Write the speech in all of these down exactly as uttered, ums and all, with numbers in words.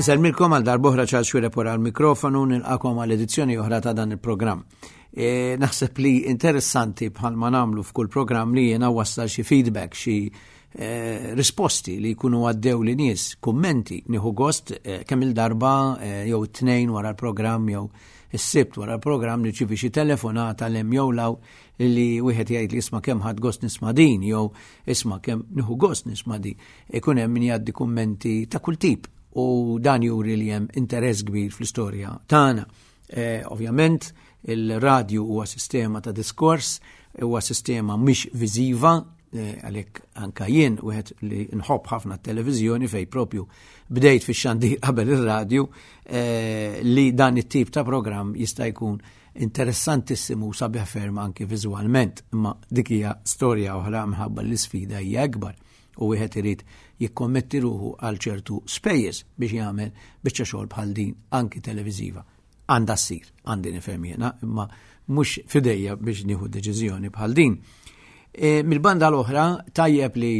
Insellmilkom għal darb'oħra, Charles Xuereb wara l-mikrofonu, nilqagħkom għal edizzjoni oħra ta' dan il-programm. E, naħseb li interessanti, bħal ma nagħmlu f'kull programm, li jiena wassal xi feedback, xi e, risposti li jkunu għaddew li nies, kummenti. Nieħu gost e, kemm il-darba e, jew it-Tnejn wara l-programm jew is-Sibt wara l-programm nirċievi xi telefonata 'l hemm jew 'l hawn li wieħed jgħid li "Isma', kemm ħadt gost nisma' din" jew "Isma', kemm nieħu gost nisma' din." Ikun hemm min jgħaddi kummenti ta' kull tip u dan juri li hemm interess kbir fl-istorja tagħna. Eh, ovvjament il-radju huwa sistema ta' diskors, huwa sistema mhix viżiva, eh, għalhekk anka jien wieħed li nħobb ħafna t-televiżjoni, fej propju bdejt fix-xandir qabel ir-radju, eh, li dan it-tip ta' programm jista' jkun interessantissimu, sabiħ ferm anki viżwalment, imma dik hija storja oħra minħabba l-isfida hija akbar u wieħed irid jikkommetti ruħu għal ċertu spejjeż biex jagħmel biċċa xogħol bħal din anki televiżiva. Għandha ssir, għandi nifhem jiena, imma mhux f'idejja biex nieħu deċiżjoni bħal din. E, Mil-banda l-oħra, tajjeb li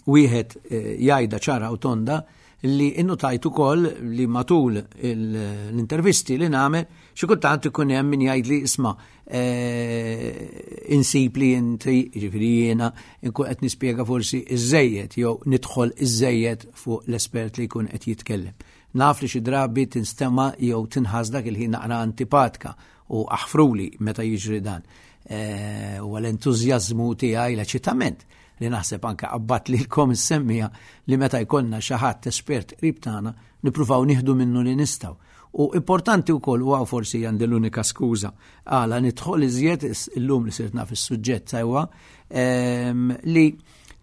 wieħed e, jgħidha ċara u tonda li innutajt ukoll li matul l-intervisti li nagħmel xi kultant ikun hemm min jgħid li "Isma', eh, insib li inti", jiġifieri jiena, nkun qed nispjega forsi iżejjed jew nidħol iżejjed fuq l-espert li jkun qed jitkellem. Naf li xi drabi tinstema' jew tinħass dak il-ħin naqra antipatika u aħfruli meta jiġri dan. Eh, u l-entużjażmu tiegħi, l-eċitament li naħseb anke qabbat lilkom is-semmiegħa li meta jkollna xi ħadd espert qrib tagħna nippruvaw nieħdu minnu li nistgħu. U importanti wkoll huwa, forsi għandi l-unika skuża għala nidħol iżjed illum li sirt naf is-suġġett sewwa, ehm, li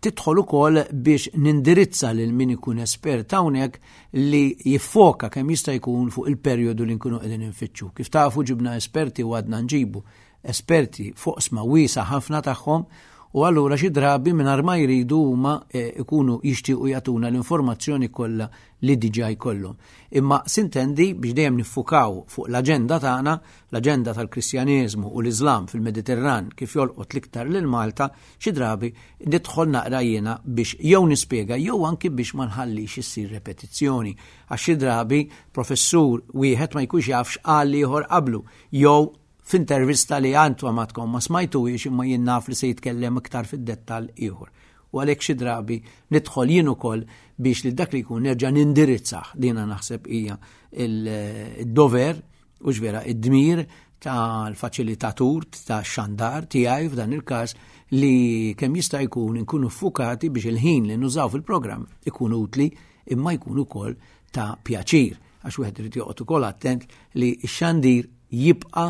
tidħol ukoll biex nindirizza lil min ikun espert hawnhekk li jiffoka kemm jista' jkun fuq il-perjodu li nkunu qegħdin infittxu. Kif tafu, ġibna esperti u għadna nġibu esperti fuq oqsma wiesgħa ħafna tagħhom u allura xi drabi mingħajr ma jridu huma eh, ikunu jixtiequ jagħtuna l-informazzjoni kollha li diġà jkollhom. Imma s'intendi biex dejjem niffukaw fuq l-aġenda tagħna, l-aġenda tal-Kristjaneżmu u l-Iżlam fil-Mediterran kif jolqot l-iktar lil Malta, xi drabi nidħol naqra jiena biex jew nispjega jew anki biex ma nħallix issir repetizzjoni. Għax xi drabi professur wieħed ma jkunx jaf x'qal ieħor qablu jew f'intervista li għantu għamatkom ma smajtuhiex, imma jien naf li se jitkellem iktar fid-dettall ieħor. U għalhekk xi drabi nidħol jien ukoll biex li dak li jkun nerġa' nindirizzah. Dina naħseb hija il-dover u ġvera id-dmir tal-faċilitatur ta' xandar tiegħi f'dan il-każ, li kemm jista' jkun inkunu ffukati biex il-ħin li nużaw fil-programm ikun utli imma jkun ukoll ta' pjaċir, għax wieħed irid joqgħod ukoll attent li x-xandir jibqa'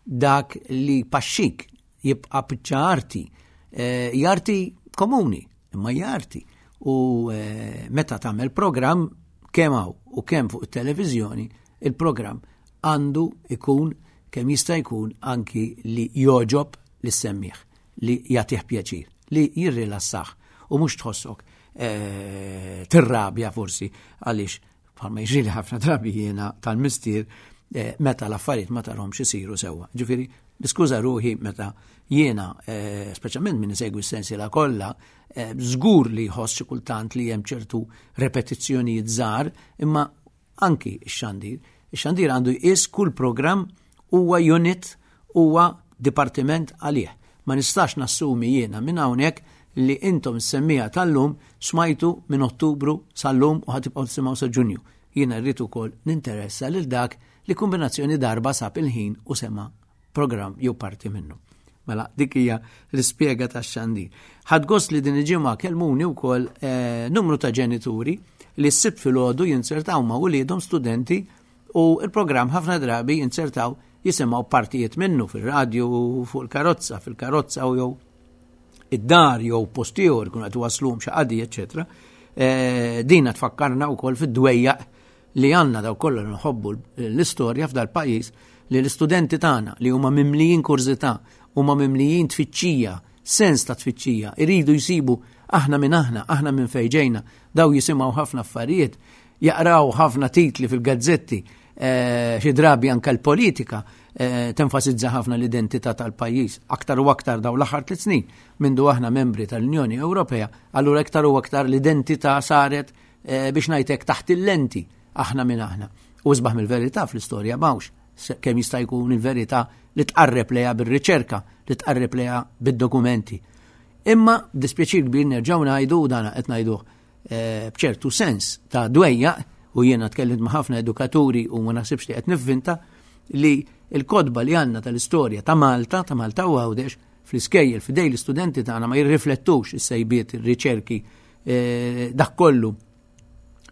dak li paxxik, jibqa' biċċa arti, eh, arti komuni, imma arti. U eh, meta tagħmel programm kemm hawn u kemm fuq it-televiżjoni, il-programm għandu ikun kemm jista' jkun anki li jogħġob lis-semmiegħ, li jagħtih pjaċir, li jirrilassah u mhux tħossok eh, tirrabja forsi għaliex, bħalma jiġri ħafna drabi jiena tal-mistier eh, meta l-affarijiet ma tarahomx isiru sewwa. Ġifieri, niskuża ruħi meta jiena, eh, speċjalment min isegwi s-sensiela kollha, eh, żgur li jħoss xi kultant li hemm ċertu repetizzjonijiet żgħar, imma anki x-xandir. Ix-xandir għandu jqis kull programm huwa unit, huwa dipartiment għalih. Ma nistax nassumi jiena minn hawnhekk li intom is-semmiegħa tal-lum smajtu minn Ottubru sal-lum u ħa tibqgħu tisimgħu sa Ġunju. Jiena rrid ukoll ninteressa lil dak li kombinazzjoni darba sab il-ħin u sema program jew parti minnu. Mela, dik hija l-ispjega tax-xandir. Ħadt gost li din il-ġimgħa kelmuni wkoll eh, numru ta' ġenituri li s-Sibt filgħodu jinzertaw ma' uliedhom studenti u il-programm ħafna drabi jinzertaw jisimgħu partijiet minnu fil-radju, fuq il-karozza, fil-karozza u jew id-dar jew post ieħor kun qed waslum xi qadi, eċetera. Eh, dina tfakkarna wkoll fid-dwejjaq li għandna daw kollha nħobbu l-istorja f'dal pajjiż, li l-istudenti tagħna li huma mimlijin kurżità, huma mimlijin tfittxija, sens ta' tfittxija, iridu jsibu aħna minn aħna, aħna minn fejn ġejna, daw jisimgħu ħafna affarijiet, jaqraw ħafna titli fil-gazzetti, eh, xi drabi anke l-politika eh, tenfasizza ħafna l-identità tal-pajjiż. Aktar u aktar daw l-aħħar tliet snin mindu aħna membri tal-Unjoni Ewropea, allura aktar u aktar l-identità saret eh, biex ngħidlek taħt il-lenti. aħna minn aħna. U isbaħ mill-verità fl-istorja m'hawnx, kemm jista' jkun il-verità li tqarreb lejha bir-riċerka, li tqarreb lejha bid-dokumenti. Imma dispjaċir kbir nerġgħu ngħidu, dana qed ngħiduh eh, b'ċertu sens ta' dwejja, u jiena tkellimt ma' ħafna edukaturi u ma naħsibx li qed nivvinta, li l-kotba li għandna tal-istorja ta' Malta, ta' Malta u Għawdex, fl-iskejjel, f'idej l-istudenti tagħna ma jirriflettux is-sejbiet, ir-riċerki, eh, dak kollu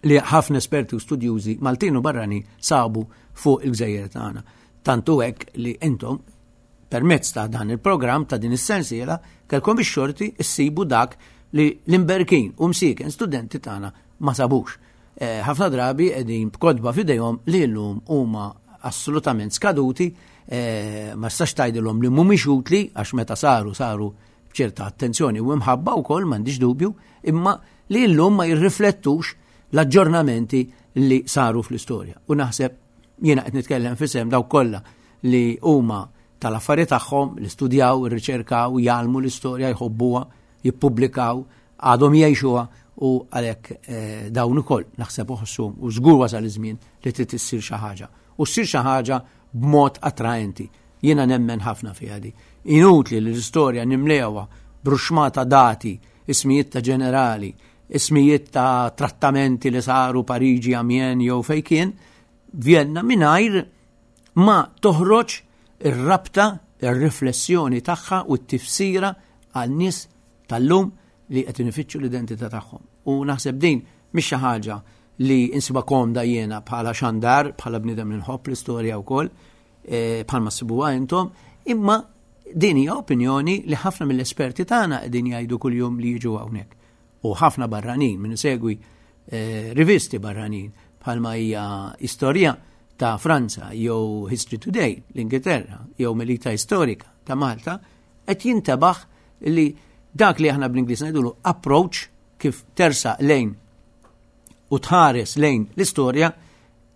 li ħafna esperti u studjużi Maltin u barrani sabu fuq il-gżejjer tagħna. Tantu hekk li intom permezz ta' dan il-programm ta' din is-sensiela kellkom ix-xorti issibu dak li l-imberkin u msiken studenti tagħna ma sabux. Eh, ħafna drabi qegħdin b'kotba f'idejhom li llum huma assolutament skaduti, eh, ma stax tgħidilhom li mhumiex utli għax meta saru saru b'ċerta attenzjoni u imħabba wkoll, m'għandix dubju, imma li llum ma jirriflettux l-aġġornamenti li saru fl-istorja. U naħseb jiena qed nitkellem f'isem dawk kollha li huma tal-affari tagħhom, li studjaw, irriċerkaw, jgħallmu l-istorja, jħobbuha, jippubblikaw, għadhom jgħixuha, u għalhekk eh, dawn ukoll naħseb uħossum u żgur wasal iż-żmien li trid issir xi ħaġa. U ssir xi ħaġa b'mod attraenti. Jiena nemmen ħafna fiha di. Inutli li l-istorja nimlewha bruxmata dati, ismijiet ta' ġenerali, ismijiet ta' trattamenti li saru Pariġi, Amiens jew fejn kien, Vienna, mingħajr ma toħroġ ir-rabta, ir-riflessjoni tagħha u t-tifsira għal nies tal-lum li qed ifittxu l-identità tagħhom. U naħseb din mhix xi ħaġa li insiba komda jiena bħala xandar, bħala bniedem li nħobb l-istorja wkoll, eh, bħalma ssibuha intom, imma din hija opinjoni li ħafna mill-esperti tagħna qegħdin jgħidu kuljum li jiġu hawnhekk. U ħafna barranin, min isegwi eh, rivisti barranin bħalma hija Istorja ta' Franza jew History Today l-Ingilterra jew Melita Istorika ta' Malta, qed jintebaħ li dak li aħna bl-Ingliż ngħidulu approach, kif tersa lejn u tħares lejn l-istorja,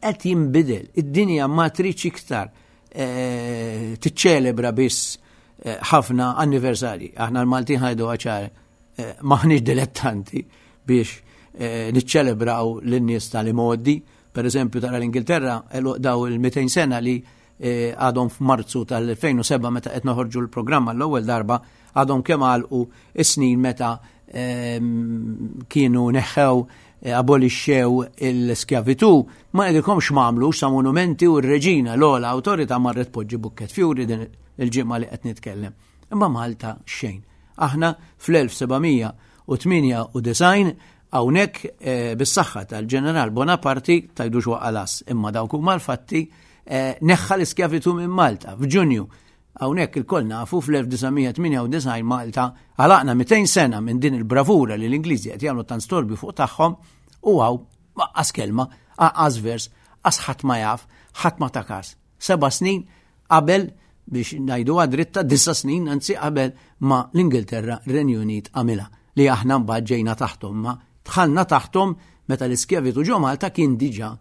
qed jinbidel. Id-dinja ma tridx iktar eh, tiċċelebra biss eh, ħafna anniversarji. Aħna l-Maltin ħajdu ċar, eh, maħniex dilettanti biex niċċelebraw lin-nies tal-imgħoddi. Per eżempju, tara l-Ingilterra daw il-mitejn sena li għadhom f'Marzu tal-elfejn u seba' meta qed noħorġu l-programma l-ewwel darba, għadhom kemm għalqu is-snin meta ehm, kienu neħħew, eh, abolixxew il-skjavitu, ma ngħidilkomx m'għamlux sa monumenti, u r-reġina l-ogħla awtorità marret poġġi bukket fjuri din il-ġimgħa li qed nitkellem. Imma Malta xejn. Aħna fl-elf sebgħamija u tmienja u disgħin hawnhekk, eh, bis-saħħa tal-Ġeneral Bonaparte, tajdux waqalas, imma dawk huma l-fatti, eh, neħħa l-iskjavitu minn Malta f'Ġunju. Hawnhekk ilkoll nafu fl-elf disa' mija tmienja u disgħin Malta għalaqna mitejn sena minn din il-bravura li l-Ingliżi qed jagħmlu tant storbju fuq tagħhom, u hawn qas kelma, qas vers, qas ħadd ma jaf, ħadd ma ta kas. Seba' snin qabel, biex ngħidu dritta, disa' snin anzi qabel ma l-Ingilterra, r-Renju Unit għamilha, li aħna mbagħad ġejna taħthom, ma dħalna taħthom meta l-iskjavitu ġo Malta kien diġà,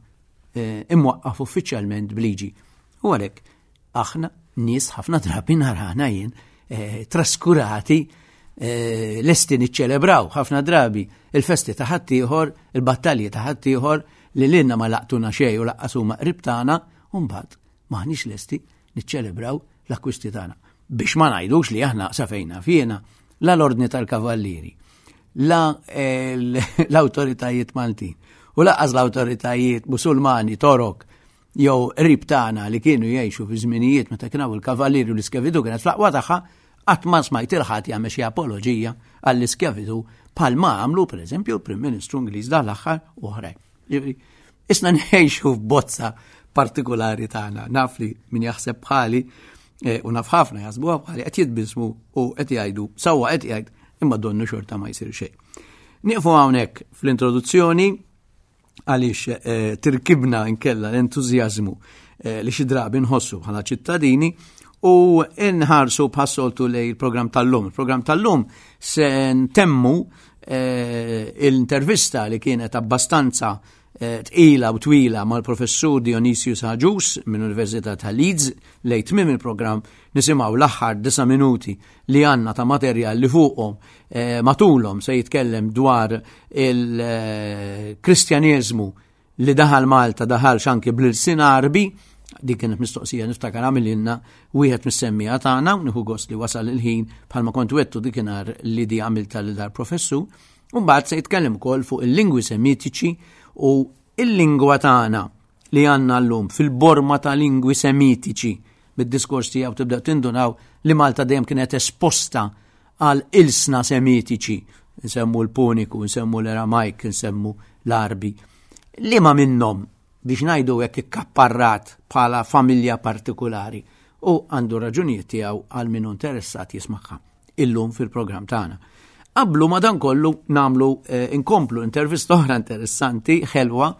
eh, imwaqqaf uffiċjalment bliġi. U għalhekk aħna nies ħafna drabi narana jien, eh, traskurati, eh, lesti niċċelebraw ħafna drabi il-festi ta' ħaddieħor, il-battalji ta' ħaddieħor li lilna ma laqtuna xejn u laqqas huma qrib tagħna, u mbagħad maħniex lesti niċċelebraw l-akkwisti tagħna. Biex ma ngħidux li aħna safejna fjena la l-ordni tal-kavallieri, la l-awtoritajiet Maltin u laqqas l-awtoritajiet Musulmani, Torok, jew qrib tagħna li kienu jgħixu fi żminijiet meta kien hawn il-kavallieri u l-iskjavitu kienet fl-aqwa tagħha, qatt ma smajt il-ħadd jagħmel xi apoloġija għall-iskjavitu bħalma għamlu pereżempju l-Prim Ministru Ingliż dan l-aħħar u oħrajn. Ġifieri, isna ngħixu f'bozza partikolari tagħna, naf li min jaħseb bħali, eh, u naf ħafna jaħsbuha bħali, qed jitbismu u qed jgħidu sewwa qed jgħid, imma donnu xorta ma jsir xejn. Nieqfu hawnhekk fl-introduzzjoni għaliex, eh, tirkibna nkella l-entużjażmu, eh, li xi drabi nħossu bħala ċittadini u nħarsu bħas-soltu lejn il-programm tal-lum. Il-programm tal-lum se ntemmu, eh, l-intervista li kienet abbastanza, eh, tqila u twila mal-professur Dionysius Agius minn Università ta' Leeds. Lejn tmiem il-programm nisimgħu l-aħħar disa' minuti li għandna ta' materjal li fuqhom, eh, matulhom se jitkellem dwar il-Kristjaneżmu li daħal Malta daħal anki bl-ilsien Għarbi. Dik kienet mistoqsija niftakar għamililna wieħed mis-semmija tagħna, u nieħu gost li wasal il-ħin bħalma kont wettu dikinhar li di għamilta lil dar professur. U mbagħad se jitkellem ukoll fuq il-lingwi semitiċi u il-lingwa tagħna li għandna llum fil-borma ta' lingwi semitiċi. Bid-diskors tiegħu tibda tindunaw li Malta dejjem kienet esposta għal ilsna semitiċi. Nsemmu l-Puniku, nsemmu l-Aramajk, nsemmu l-Arbi. Liema minnhom biex ngħidu hekk ikkapparrat bħala familja partikolari, u għandu raġunijiet tiegħu għal min interessat jismagħha illum fil-programm tagħna. Qablu madankollu nagħmlu eh, inkomplu intervista oħra interessanti, ħelwa,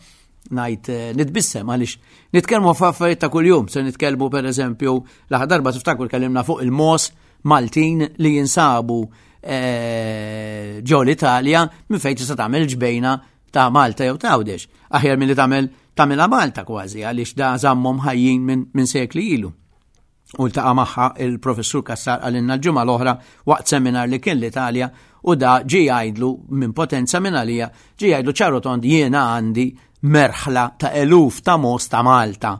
ngħid eh, nitbissem għaliex nitkellmu f'affarijiet ta' kuljum. Se nitkellmu pereżempju l-aħħar darba tiftakru kellimna fuq il-mos Maltin li jinsabu eh, ġo l-Italja minn fejn tista' tagħmel ġbejna ta' Malta jew ta' Għawdex. Aħjar milli tagħmel tagħmilha Malta kważi għaliex da żammhom ħajjin minn min sekli ilu. U ltaqa' magħha il-professur Cassar għalinna l-ġimgħa l-oħra waqt seminar li kien l-Italja, u da ġie jgħidlu minn potenza minn għalija, ġie jgħidlu ċaru tond jiena għandi merħla ta' eluf ta' mos ta' Malta,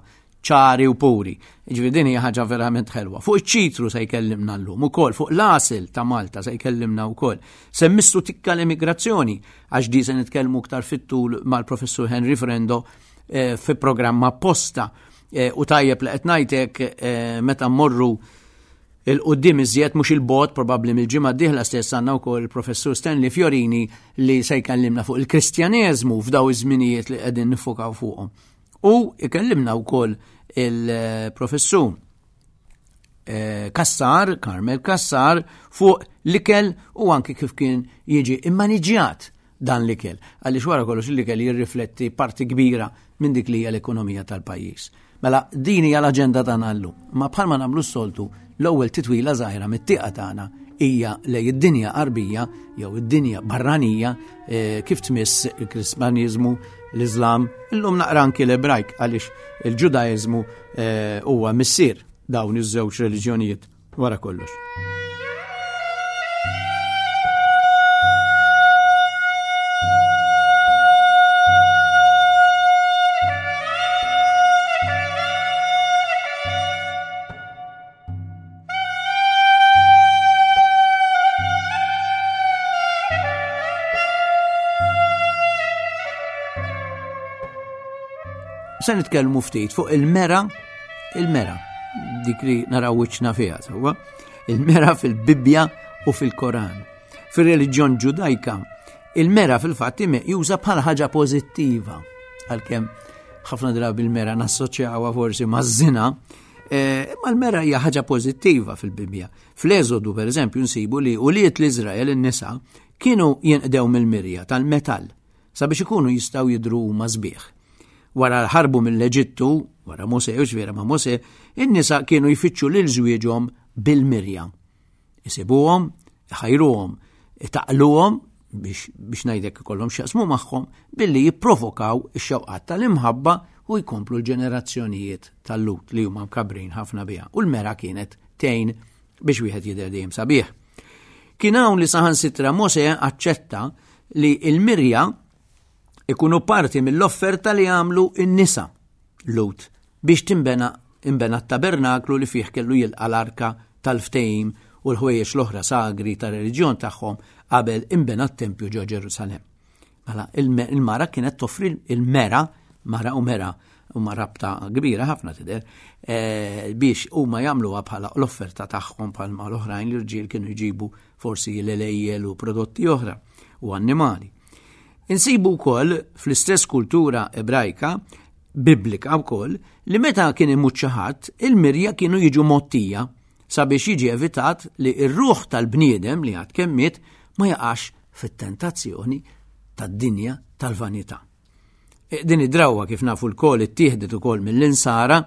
ċari u puri. Ġifieri din hija ħaġa verament ħelwa. Fuq iċ-ċitru se jkellimna llum ukoll, fuq l-għasel ta' Malta se jkellimna wkoll. Se mmissu tikka l-immigrazzjoni, għax di se nitkellmu aktar fit-tul mal-professur Henry Frendo eh, fi programm apposta. Eh, u tajjeb li qed ngħidlek, eh, meta mmorru il-qudiem iżjed mhux il-bot, probabbli mill-ġimgħa d-dieħla stess għandna wkoll il-professur Stanley Fiorini li se jkellimna fuq il-Kristjaneżmu f'daw iż-żminijiet li qegħdin nifokaw fuqhom. U ikellimna wkoll il-professur, eh, Cassar, Carmel Cassar, fuq l-ikel u anki kif kien jiġi immaniġjat dan l-ikel. Għaliex wara kollox l-ikel jirrifletti parti kbira minn dik li hija l-ekonomija tal-pajjiż. Mela din hija l-aġenda tagħna llum. Ma bħalma nagħmlu s-soltu, l-ewwel titwila żgħira mit-tieqa tagħna hija lej id-dinja Għarbija jew id-dinja barranija, eh, kif tmiss il-Kristjaniżmu, l-Iżlam, illum naqra anki l-Ebrajk għaliex il-Ġudaiżmu, eh, huwa missier dawn iż-żewġ reliġjonijiet wara kollox. Se nitkellmu ftit fuq il-mera, il-mera, dik li naraw wiċċna fiha, sewwa, il-mera fil-Bibbja u fil-Koran. Fir-reliġjon Ġudajka, il-mera fil-fatt meqjusa bħala ħaġa pożittiva, għalkemm ħafna drabi il-mera nassoċjawha forsi maż-żina, eh, imma l-mera hija ħaġa pożittiva fil-Bibbja. Fl-Eżodu, per eżempju, nsibu li ulied l-Iżrael in-nisa kienu jinqdew mill-mirja tal-metall sabiex ikunu jistgħu jidhru huma sbieħ. Wara l-ħarbu mill-Eġittu, wara Mosè, u ġifieri ma' Mosè, in-nisa kienu jfittxu lil żwieġhom bil-mirja. Isibuhom, iħajruhom, itaqluhom biex, biex ngħidlek ikollhom x'jaqsmu magħhom billi jipprovokaw ix-xewqat tal-imħabba u jkomplu l-ġenerazzjonijiet tal-Lut li huma mkabrin ħafna biha. U l-mera kienet tgħin biex wieħed jidher dejjem sabiħ. Kien hawn li saħansitra Mosè aċċetta li l-mirja ikunu parti mill-offerta li għamlu n-nisa Lut biex timbena imbena t-tabernaklu li fih kellu jilqa' l-arka tal-ftehim u l-ħwejjeġ l-oħra sagri tar-reliġjon tagħhom qabel imbena t-tempju ġo Ġerusalemm. Mela il-me-, il-mara kienet toffri il-mera, mara u mera, huma rabta kbira ħafna tidher, eh, biex huma jagħmluha bħala l-offerta tagħhom bħalma l-oħrajn l-irġiel kienu jġibu forsi l-elejjel u prodotti oħra u annimali. Insibu wkoll fl-istess kultura ebrajka, biblika wkoll, li meta kien imut xi ħadd, il-mirja kienu jiġu mottija sabiex jiġi evitat li r-ruħ tal-bniedem li għad kemm miet ma jaqax fit-tentazzjoni tad-dinja tal-vanità. E, din id-drawwa kif nafu lkoll ittieħdet ukoll mill-insara,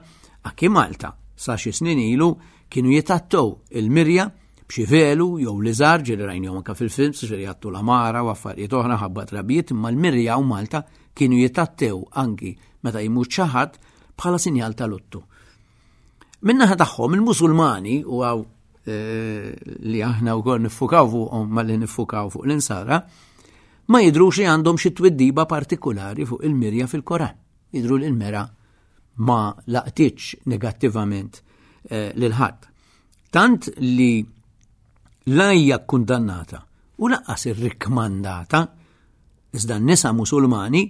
anki Malta sa xi snin ilu kienu jitattow il-mirja b'xi velu jew liżar, ġieli rajnihom anke fil-films, ġieli jgħattu l-amara u affarijiet oħra ħabba trabijiet, imma l-mirja u Malta kienu jitattew anki meta jmut xi ħadd bħala sinjal ta' luttu. Min-naħa tagħhom il-Musulmani, u għaw, eh, li aħna wkoll niffukaw fuqhom malli niffukaw fuq l-insara, Ma jidrux li għandhom xi twiddiba partikolari fuq il-mirja fil-Koran. Jidru li l-mera ma laqtitx negattivament eh, lil ħadd. Tant li la hija kkundannata u lanqas irrikmandata, iżda n-nisa Musulmani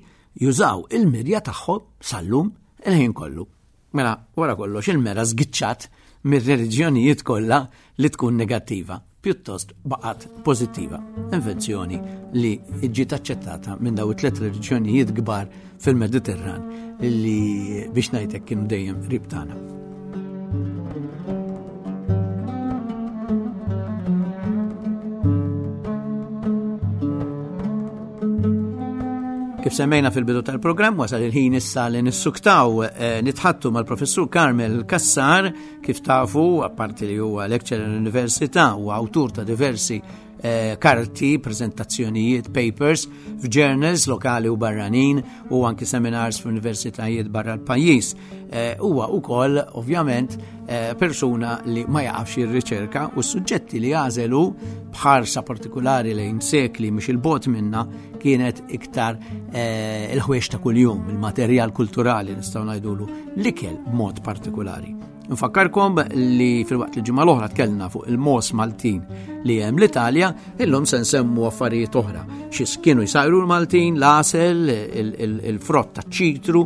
jużaw il-mirja tagħhom sal-lum il-ħin kollu. Mela, wara kollox il-mera żgiċċat mir-reliġjonijiet kollha li tkun negattiva, pjuttost baqgħet pożittiva. Invenzjoni li ġiet aċċettata minn daw it-tliet reliġjonijiet kbar fil-Mediterran li biex ngħidlek kienu dejjem qrib tagħna. Kif semmejna fil-bidu tal-programm, wasal il-ħin issa li nissuktaw eh, nitħattu mal-professur Carmel Cassar, kif tafu, apparti li huwa lecturer l-Università u awtur ta' diversi eh, karti, prezentazzjonijiet, papers f'journals lokali u barranin u anki seminars f'universitajiet barra l-pajjiż. Eh, huwa wkoll ovvjament eh, persuna li ma jaqafx ir-riċerka u s-suġġetti li għażelu bħarsa partikolari lejn sekli mhux il-bot minna kienet iktar eh, il-ħwiex ta' kuljum, il-materjal kulturali nistgħu ngħidulu l-ikel b'mod partikolari. Nfakkarkom li fil-waqt li ġimgħa l-oħra tkellna fuq il-mos Maltin li hemm l-Italja, illum se nsemmu affarijiet oħra. Xi kienu jsajru l-Maltin, l-għasel, il-frott taċ-ċitru,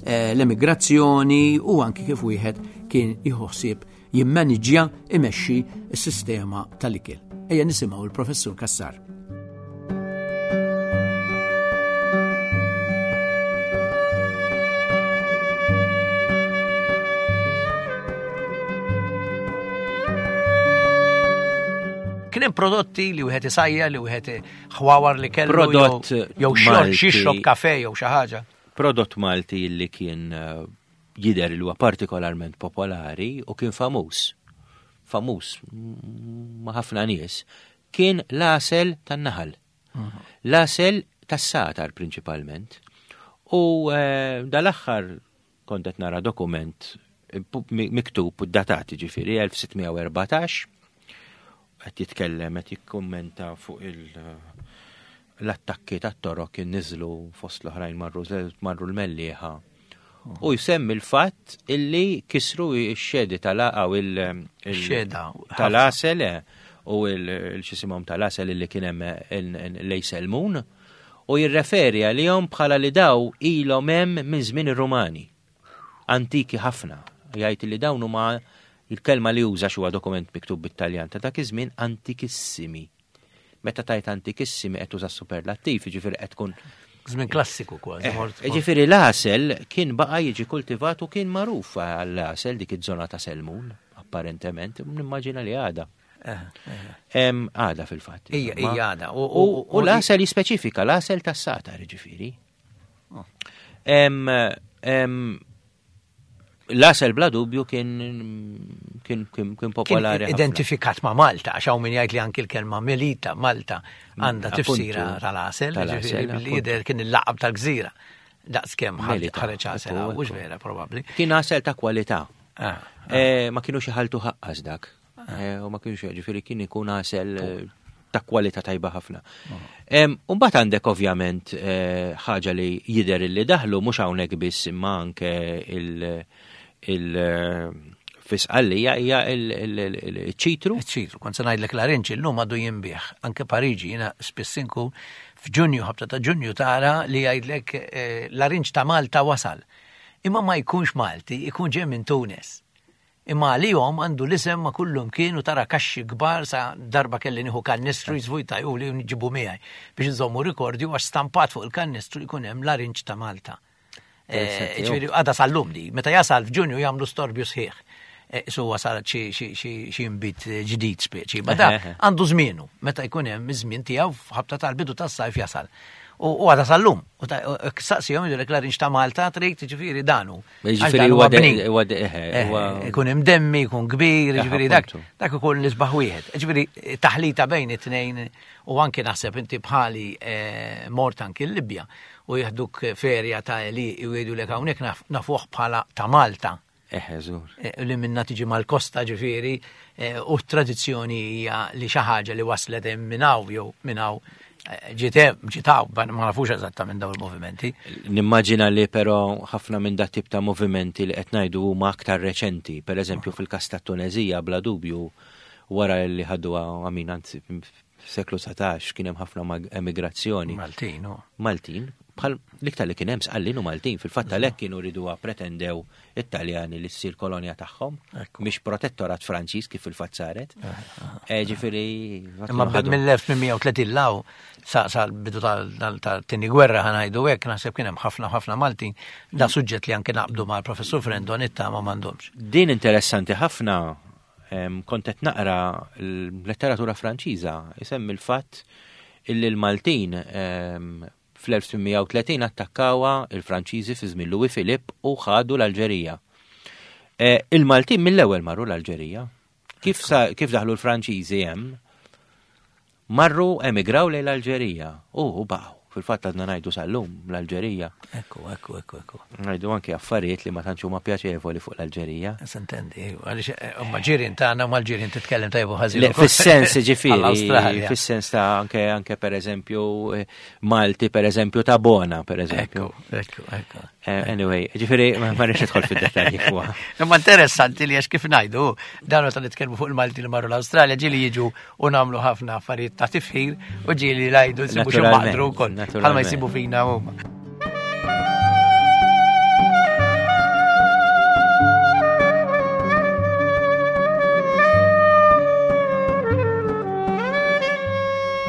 eh, l-emigrazzjoni u anki kif wieħed kien jħossib jimmaniġġja imexxi s-sistema tal-ikel. Ejja nisimgħu l-Professur Cassar. Kien hemm prodotti li wieħed isajja, li wieħed ħwawar li kellu Prodott jew xorb, Malti. xixrob kafe jew xi ħaġa. Prodott Malti li kien eh, jidher li huwa partikolarment popolari u kien famuż. Famuż ma' ħafna nies, kien l-għasel tan-naħal. L-għasel tas-satar prinċipalment. U eh, dal-aħħar kont qed nara dokument eh, pu- mi- miktub u datat ġifieri elf sitt mija u erbatax, qed jitkellem, qed jikkummenta fuq il- l-attakki tat-torok kien niżlu fost l-oħrajn marru, marru l-Mellieħa. U jsemmi l-fatt illi kisru x-xedi tal-għasel u il- il- Xeda. tal-għasel, eh, u il-xisimhom tal-għasel illi kien hemm lejselmun, u jirreferi għalihom bħala li daw ilhom hemm minn żmien ir-Rumani. Antiki ħafna. Jgħid li dawn huma il-kelma li juża xi huwa dokument miktub bit-Taljan ta' dak iż-żmien antikissimi. Meta tajt antikissimi qed tuża superlattiv, jiġifieri qed tkun Żmien klassiku kważi. Eh, mort- Jiġifieri l-għasel kien baqa' jiġi kultivat u kien magħruf għall-għasel dik iż-żona ta' Selmun, apparentement, nimmaġina li għada. Eh, eh. Em, għada fil-fatt. Ija, insomma. ija għada. U- U u- u l-għasel jispeċifika, l-għasel tas-satar, jiġifieri. Oh. Em, em, L-għasel bla dubju kien, kien, kien, kien popolari Kien ħafna. identifikat ma' Malta, għax hawn min jgħid li anki l-kelma Melita, Malta, għandha Mm, tifsira appuntu. tal-għasel, Tal-għasel, ġifieri billi appuntu. jidher kien il-laqab tal-gżira. Daqs kemm ħadd Melita, ħareġ għasel, ekku, mhux ekku. vera probabbli. Kien għasel ta' kwalità. Ah, Eh, ma kienux iħaltu ħaqqas dak. Eh, u ma kienux, ġifieri kien ikun għasel, eh, ta' kwalità tajba ħafna. Em, u mbagħad għandek ovvjament, eh, ħaġa li jidher li daħlu mhux hawnhekk biss imma anke il-, il-, eh, fisqallija hija il-, il-, il-, il-ċitru. Il-ċitru, kont se ngħidlek l-arinċ illum għadu jinbih, anke Pariġi, jiena spiss inkun f'Ġunju, ħabta ta' Ġunju tara li jgħidlek, eh, l-arinċ ta' Malta wasal. Imma ma jkunx Malti, ikun ġej minn Tunis. Imma għalihom għandu l-isem ma kullum kienu tara kaxxi kbar sa darba kelli nieħu kannistru jiżvujta jew li nġibu miegħi biex nżommu rikordju għax stampat fuq il-kannistru jkun hemm l-arinċ ta' Malta. Eh, Interessanti, ġifieri, għada sal-lum di, meta jasal f'Ġunju jagħmlu storbju sħiħ. Eh, su wasal xi, xi, xi, xi nbit ġdid speċi. Ma da Eħe, eħe. għandu żmienu, meta jkun hemm iż-żmien tiegħu f'ħabta tal-bidu tas-sajf jasal. U, u għada sal-lum. U ta-, u, saqsihom jgħidulek l-arinċ ta' Malta trid, ġifieri danu. Ġifieri Għax dan huwa huwa de- bnin. huwa de-, eħe, Eh, huwa ikun imdemmi, ikun kbir, Eħe, ġifieri dak, appuntu. dak ikun l-isbaħ wieħed. Ġifieri taħlita bejn it-tnejn u anke naħseb inti bħali, eh, mort anki l-Libja u jieħduk ferja ta' li u jgħidulek hawnhekk naf-, nafuh bħala ta' Malta. Eħe, żgur. Eh, li minna tiġi mal-kosta ġifieri, eh, u t-tradizzjoni hija li xi ħaġa li waslet hemm minn hawn jew minn hawn Ġiet ġitaw, ma nafux eżattament dawn il-movimenti. Nimmaġina li però ħafna minn dat tip ta' movimenti li qed ngħidu huma aktar reċenti, per eżempju fil-każ tat-Tuneżija bla dubju wara li ħaddu għamin anzi seklu satax kien hemm ħafna emigrazzjoni. Maltin, u. Maltin, bħal l-iktar li kien hemm Sqallin u Maltin, fil-fatt għalhekk kienu riduha pretendew it-Taljani li ssir kolonja tagħhom, mhix protettorat Franċiż kif fil-fatt saret. Ġifieri. Imma mill-elf tmien mija u tletin law sa bidu tal-tieni gwerra ħanajdu hekk naħseb kien hemm ħafna ħafna Maltin, da suġġett li anke naqbdu mal-professur Frendo nittama m'għandhomx. Din interessanti ħafna. Kont qed naqra l-letteratura Franċiża isemmi l-fatt illi l-Maltin fl-elf tmien mija u tletin attakkawha il-Franċiżi fi żmien Louis Philippe u ħadu l-Alġerija. Il-Maltin mill-ewwel marru l-Alġerija. Kif, kif daħlu l-Franċiżi hemm, marru emigraw lejn l-Alġerija u baqgħu. Fil-fatt għadna ngħidu sal-lum l-Alġerija. Ekku, ekku, ekku, ekku. Ngħidu anke affarijiet li ma tantx huma pjaċevoli fuq l-Alġerija. Sintendi, għaliex huma ġirien tagħna u mal-ġirien titkellem tajbu ħażin. Fis-sens ġifieri, fis-sens ta' anke anke pereżempju Malti pereżempju ta' Bona pereżempju. Ekku, ekku, ekku. Anyway, ġifieri ma rridx nidħol fid-dettalji fuqha. Imma interessanti li għax kif ngħidu, dan meta nitkellmu fuq il-Malti li marru l-Awstralja ġieli jiġu u nagħmlu ħafna affarijiet ta' tifħir u ġieli ngħidu nsibu xi maqdru wkoll. Bħalma jsibu fina huma.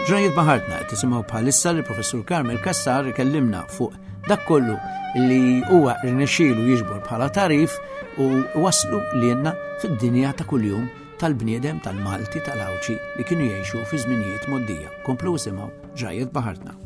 Ġrajiet Baħartna qed tisimgħu bħalissa li Professur Carmel Cassar ikellimna fuq dak kollu li huwa rnexxielu jiġbor bħala tarif u waslu lilna fid-dinja ta' kuljum tal-bniedem tal-Malti tal-Għawdxi li kienu jgħixu fi żminijiet moddija. Komplu isimgħu Ġrajiet Baħartna.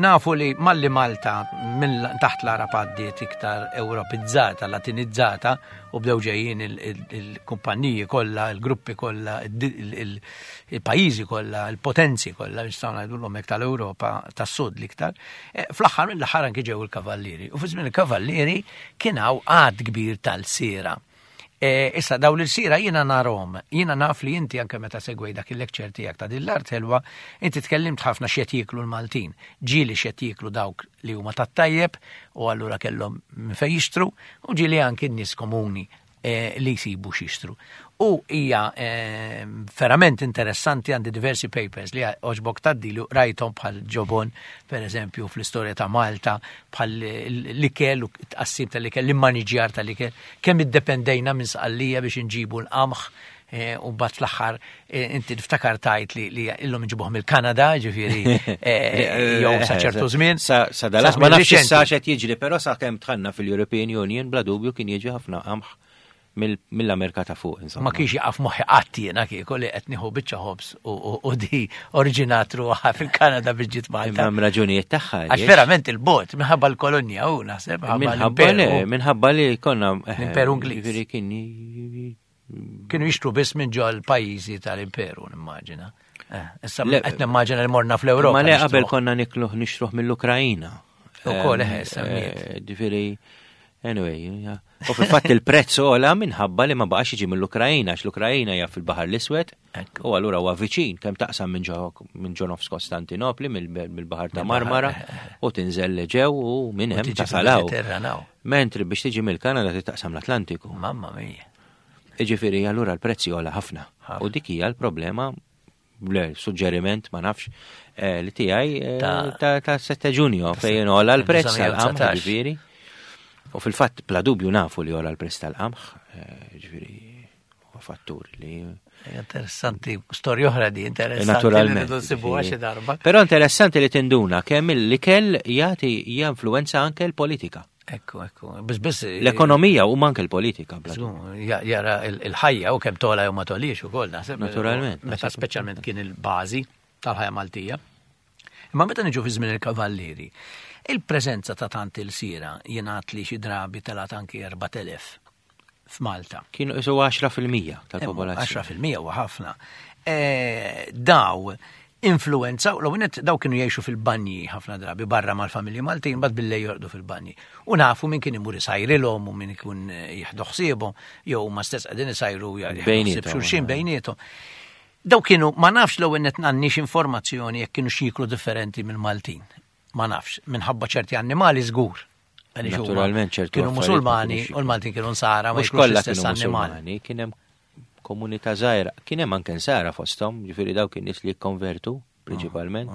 Nafu li malli Malta minn taħt l-Arab għaddiet iktar Ewropizzata, Latinizzata, u bdew ġejjin il-kumpanniji kollha, il-gruppi kollha, il-pajjiżi kollha, il-potenzi kollha, nistgħu ngħidulhom hekk tal-Ewropa tas-Sud l-iktar. Fl-aħħar mill-aħħar anke ġew il-Kavallieri. U fi żmien il-Kavallieri kien hawn għadd kbir tal-sira. Issa daw l-sira jiena narhom, jiena naf li inti anke meta segwej dak il-lecture tiegħek ta' din l-art ħelwa, inti tkellimt ħafna x'qed jieklu l-Maltin, ġieli x'qed jieklu dawk li huma tat-tajjeb u allura kellhom minn fejn jixtru, u ġieli anke n-nies komuni li jsibu x'jixtru. U hija verament interessanti, għandi diversi papers li oġbok taddilu rajthom bħal ġobon, per eżempju, fl-istorja ta' Malta, bħal l-ikel u t-tqassim tal-ikel, l-immaniġjar tal-ikel, kemm iddependejna minn Sqallija biex inġibu l-qamħ, u mbagħad fl-aħħar inti niftakar tajt li illum inġibuh mill-Kanada, ġifieri jew sa ċertu żmien. Sa dal-aħħar ma nafx issa x'qed jiġri, però sa kemm dħalna fil-European Union bla dubju kien jiġi ħafna qamħ mill-Amerika ta' fuq, insomma. Ma kienx jaqaf moħħi qatt jiena kieku li qed nieħu biċċa ħobż u di oriġinat ruħha fil-Kanada biex ġiet Malta. Imma hemm raġunijiet tagħha. Għax verament il-bot minħabba l-kolonja u naħseb minħabba li minħabba li konna l-Imperu Ingliż. Ġifieri kien kienu jixtru biss minn ġol pajjiżi tal-Imperu, nimmaġina. Issa qed nimmaġina li morna fl-Ewropa. Ma le qabel konna nikluh nixtruh mill-Ukrajina. Ukoll eħe semmiet. Ġifieri anyway, u fil-fatt il-prezz ogħla minħabba li ma baqax jiġi mill-Ukrajina, għax l-Ukrajina hija fil-Baħar l-Iswed, u allura huwa viċin kemm taqsam minn ġo nofs Kostantinopli, mill-Baħar ta' Marmara, u tinżel ġew u minn hemm tasalaw. Mentri biex tiġi mill-Kanada taqsam l-Atlantiku. Mamma mia. Jiġifieri allura l-prezzi ogħla ħafna. U dik hija l-problema, suġġeriment ma nafx li tiegħi ta' sette Ġunju fejn ogħla l-prezz tal-qamħ, ġifieri. U fil-fatt bla dubju nafu li għola l-prezz tal-qamħ, ġifieri huwa fattur li interessanti, storja oħra di interessanti. Naturalment. Xi darba. Però interessanti li tinduna kemm l-ikel jagħti jinfluwenza anke l-politika. Ekku, ekku. Biss biss l-ekonomija u anke l-politika. Jara il-ħajja u kemm tola jew ma tolix ukoll naħseb. Naturalment. Meta speċjalment kien il-bażi tal-ħajja Maltija. Imma meta niġu fi żmien il-Kavallieri, il-preżenza ta' tant il-sira jingħad li xi drabi telgħet anki erbat elef f'Malta. Kienu isu għaxra fil-mija tal-popolazzjoni. għaxra fil-mija huwa ħafna. Daw Influenza, u l daw kienu jgħixu fil-banji ħafna drabi barra mal-familji Maltin, bad billejl jorqdu fil-banji. U nafu min kien imur isajrilhom u min ikun jieħdu ħsiebhom, jew ma stess qegħdin isajru Bejniethom, xulxin bejniethom. Daw kienu, ma nafx l net għandniex informazzjoni jekk kienu x'jieklu differenti mill-Maltin. Ma nafx, minħabba ċerti annimali żgur. Għaliex huma Naturalment ċertu Kienu affarijiet ma musulmani kienux u l-Maltin kienu nsara, ma Mhux jiklux kollha l-istess kienu annimali. musulmani, kien hemm komunità żgħira, kien hemm anke nsara fosthom, ġifieri dawk in-nies li jikkonvertu prinċipalment.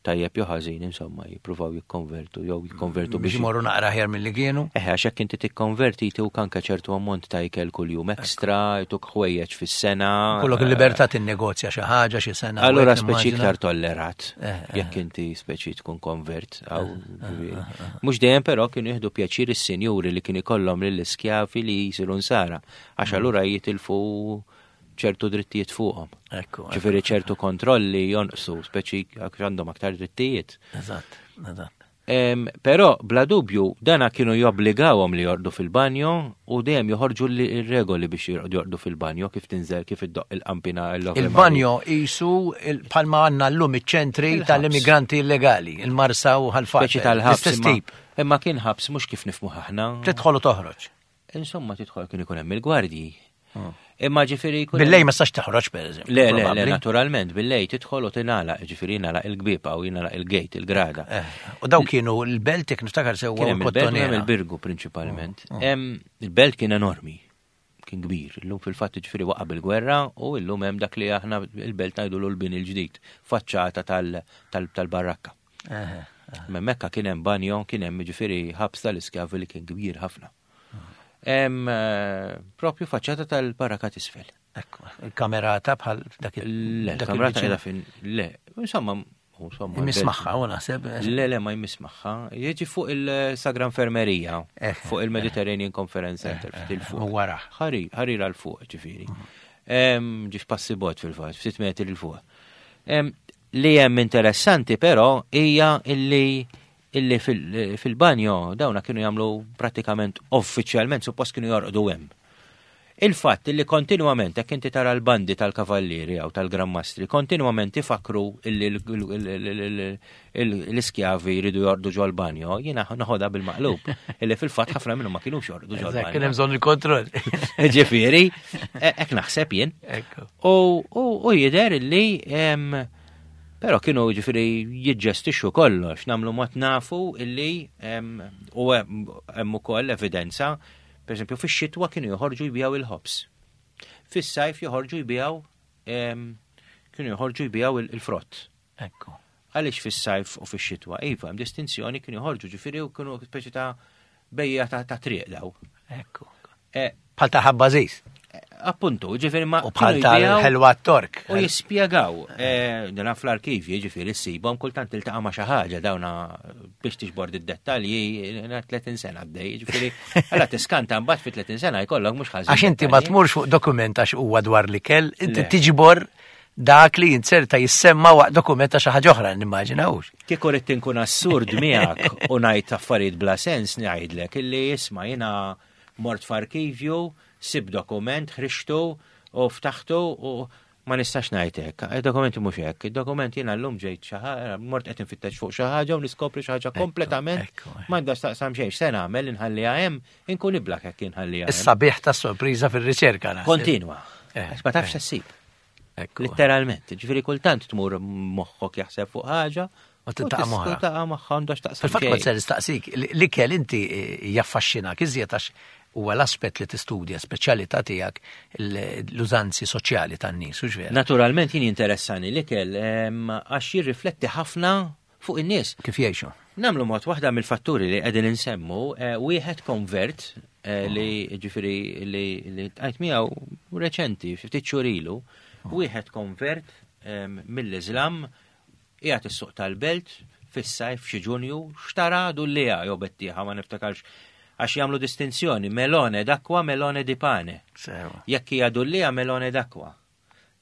Tajjeb jew ħażin, insomma, jippruvaw jikkonvertu jew jikkonvertu Biex biex imorru naqra aħjar milli kienu. Eħe, għax jekk inti tikkonverti jtuk anke ċertu ammont ta' ikel kuljum ekstra, jtuk ħwejjeġ fis-sena. Kollok il-libertà tinnegozja xi ħaġa xi sena. Allura u hekk speċi nimmaġina. iktar tollerat, Eh, eh. jekk inti speċi tkun konvert. Aw, ġifieri. Mhux dejjem però kienu jieħdu pjaċir is-sinjuri li kien ikollhom lill-iskjavi li jisiru nsara, għax allura jitilfu ċertu drittijiet fuqhom. Ekku, Ġifieri ċertu kontrolli jonqsu, speċi għax għandhom aktar drittijiet. Eżatt, eżatt. Em, Però, bla dubju, dana kienu jobbligawhom li jorqdu fil-banjo u dejjem joħorġu li- regoli biex jorqdu jorqdu fil-banjo, kif tinżel, kif iddoq il-qampina l Il-banjo jisu il- bħalma għandna llum iċ-ċentri Il-ħabs. tal-immigranti illegali, il-Marsa u Ħal Far. Speċi tal-ħabs. L-istess imma- tip. Imma kien ħabs mhux kif nifhmu aħna. Tidħol u toħroġ. Insomma, tidħol kien ikun hemm il-gwardji. Imma ġifieri jkun Billejl hemm- ma stax toħroġ per eżempju. Le, le, le, probabbli. naturalment, billejl tidħol u tingħalaq, ġifieri jingħalaq il-gbieb u jingħalaq il-gate, il-grada. Eh, U daw kienu l-belt jekk niftakar sewwa Kien u hemm il-belt u hemm l-Kottonera. il-Birgu prinċipalment. Em, Il-belt kien enormi, kien kbir. Illum fil-fatt ġifieri waqa' bil-gwerra u illum hemm dak li aħna il-belt ngħidu l-bini l-ġdid, faċċata tal- tal- tal-barrakka. Eh, Mekka kien hemm banjo, kien hemm ġifieri ħabs tal-iskjavi li kien kbir ħafna. Hemm eh, propju faċċata tal-barrakka t'isfel. Ekku, il-kamerata bħal dak il- Le, dak il-kamerata il-viċin. qiegħda fin. Le, insomma, insomma. Jmiss magħha, u naħseb. Le, le, ma jmiss magħha. Jiġi fuq il-Sagra Infermerija, Eh, fuq il-Mediterranean Conference Center, ftit il-fuq. U wara. Ħari, ħarira l-fuq, ġifieri. Em, Ġif passi bot fil-fatt, ftit metri l-fuq. Em, Li hemm interessanti però hija illi illi fil- fil-banjo dawna kienu jagħmlu pratikament uffiċjalment suppost kienu jorqdu hemm. Il-fatt li kontinwament, jekk inti tara l-bandi tal-kavallieri jew tal-grammastri, kontinwament ifakru illi l- l- l- l- l-iskjavi jridu jorqdu ġol-banjo, jiena noħodha bil-maqlub. Illi fil-fatt ħafna minnhom ma kinux jorqdu Eżatt, Kien hemm ġol-banjo. bżonn il-kontroll. Ġifieri, hekk naħseb jien. Ekku. U, u, u jider illi em, però kienu ġifieri jiġġestixxu kollox, nagħmlu mod nafu illi em, u hemm hemm ukoll evidenza, per esempio fix-xitwa kienu joħorġu jbijaw il-ħobs. Fis-sajf joħorġu jbijaw em, kienu joħorġu jbijaw il- il-frott. Ekku. Għaliex fis-sajf u fix-xitwa? Iva, hemm distinzjoni kienu joħorġu ġifieri u kienu speċi ta' bejja ta' ta' triq daw. Ekku. Eh, Bħal ta' ħabbażis. Appuntu, ġifieri ma U bħal kienu jbijaw- tal-ħelwa Tork. U jispjegaw, eh, dana fl-arkivji, ġifieri ssibhom kultant tiltaqa' ma' xi ħaġa dawna biex tiġbor id-dettalji, na tletin sena għaddej, ġifieri, alla tiskanta mbagħad fi tletin sena jkollok mhux ħażin. Għax inti ma dettalji. tmurx fuq dokument għax huwa dwar l-ikel, inti Le. tiġbor dak li jinserta jissemma waqt dokument ta' xi ħaġa oħra nimmaġinawx. Kieku rrid inkun assurd miegħek u ngħid affarijiet bla sens ngħidlek illi isma' jiena mort f'arkivju, sib dokument, ħriġtu u ftaħtu u ma nistax ngħid hekk. Id-dokumenti mhux hekk. Id-dokument jiena llum ġejt xi ħaġa, mort qed infittex fuq xi ħaġa u niskopri xi ħaġa kompletament ekku, ekku. m'għandax taqsam xejn. Se nagħmel inħalliha hemm, inkun iblak hekk inħalliha hemm. Is-sabiħ ta' sorpriża fir-riċerka. naħseb. Kontinwa. Eh, Għax ma tafx eh. ssib. Ekku. Literalment, ġifieri kultant tmur moħħok jaħseb fuq ħaġa U tiltaqa' m'oħra. Tiltaqa' magħha għandax taqsam. Fil-fatt kont xejn. se nistaqsik, l-ikel inti eh, jaffaxxinak iżjed għax huwa l-aspett li tistudja, speċjalità tiegħek l-użanzi soċjali tan-nies, hux vera? Naturalment jien interessani l-ikel em, għax jirrifletti ħafna fuq in-nies. Kif jgħixu? Nagħmlu mod waħda mill-fatturi li qegħdin insemmu, eh, wieħed konvert eh, li ġifieri li li tqajt miegħu reċenti, xi ftit xhur ilu, wieħed konvert em, mill-Iżlam qiegħed is-suq tal-belt fis-sajf xi Ġunju xtara dulliegħa jew bettieħa ma niftakarx għax jagħmlu distinzjoni melone d'acqua, melone di pane. Sewa. Jekk hija dulliegħa melone d'acqua.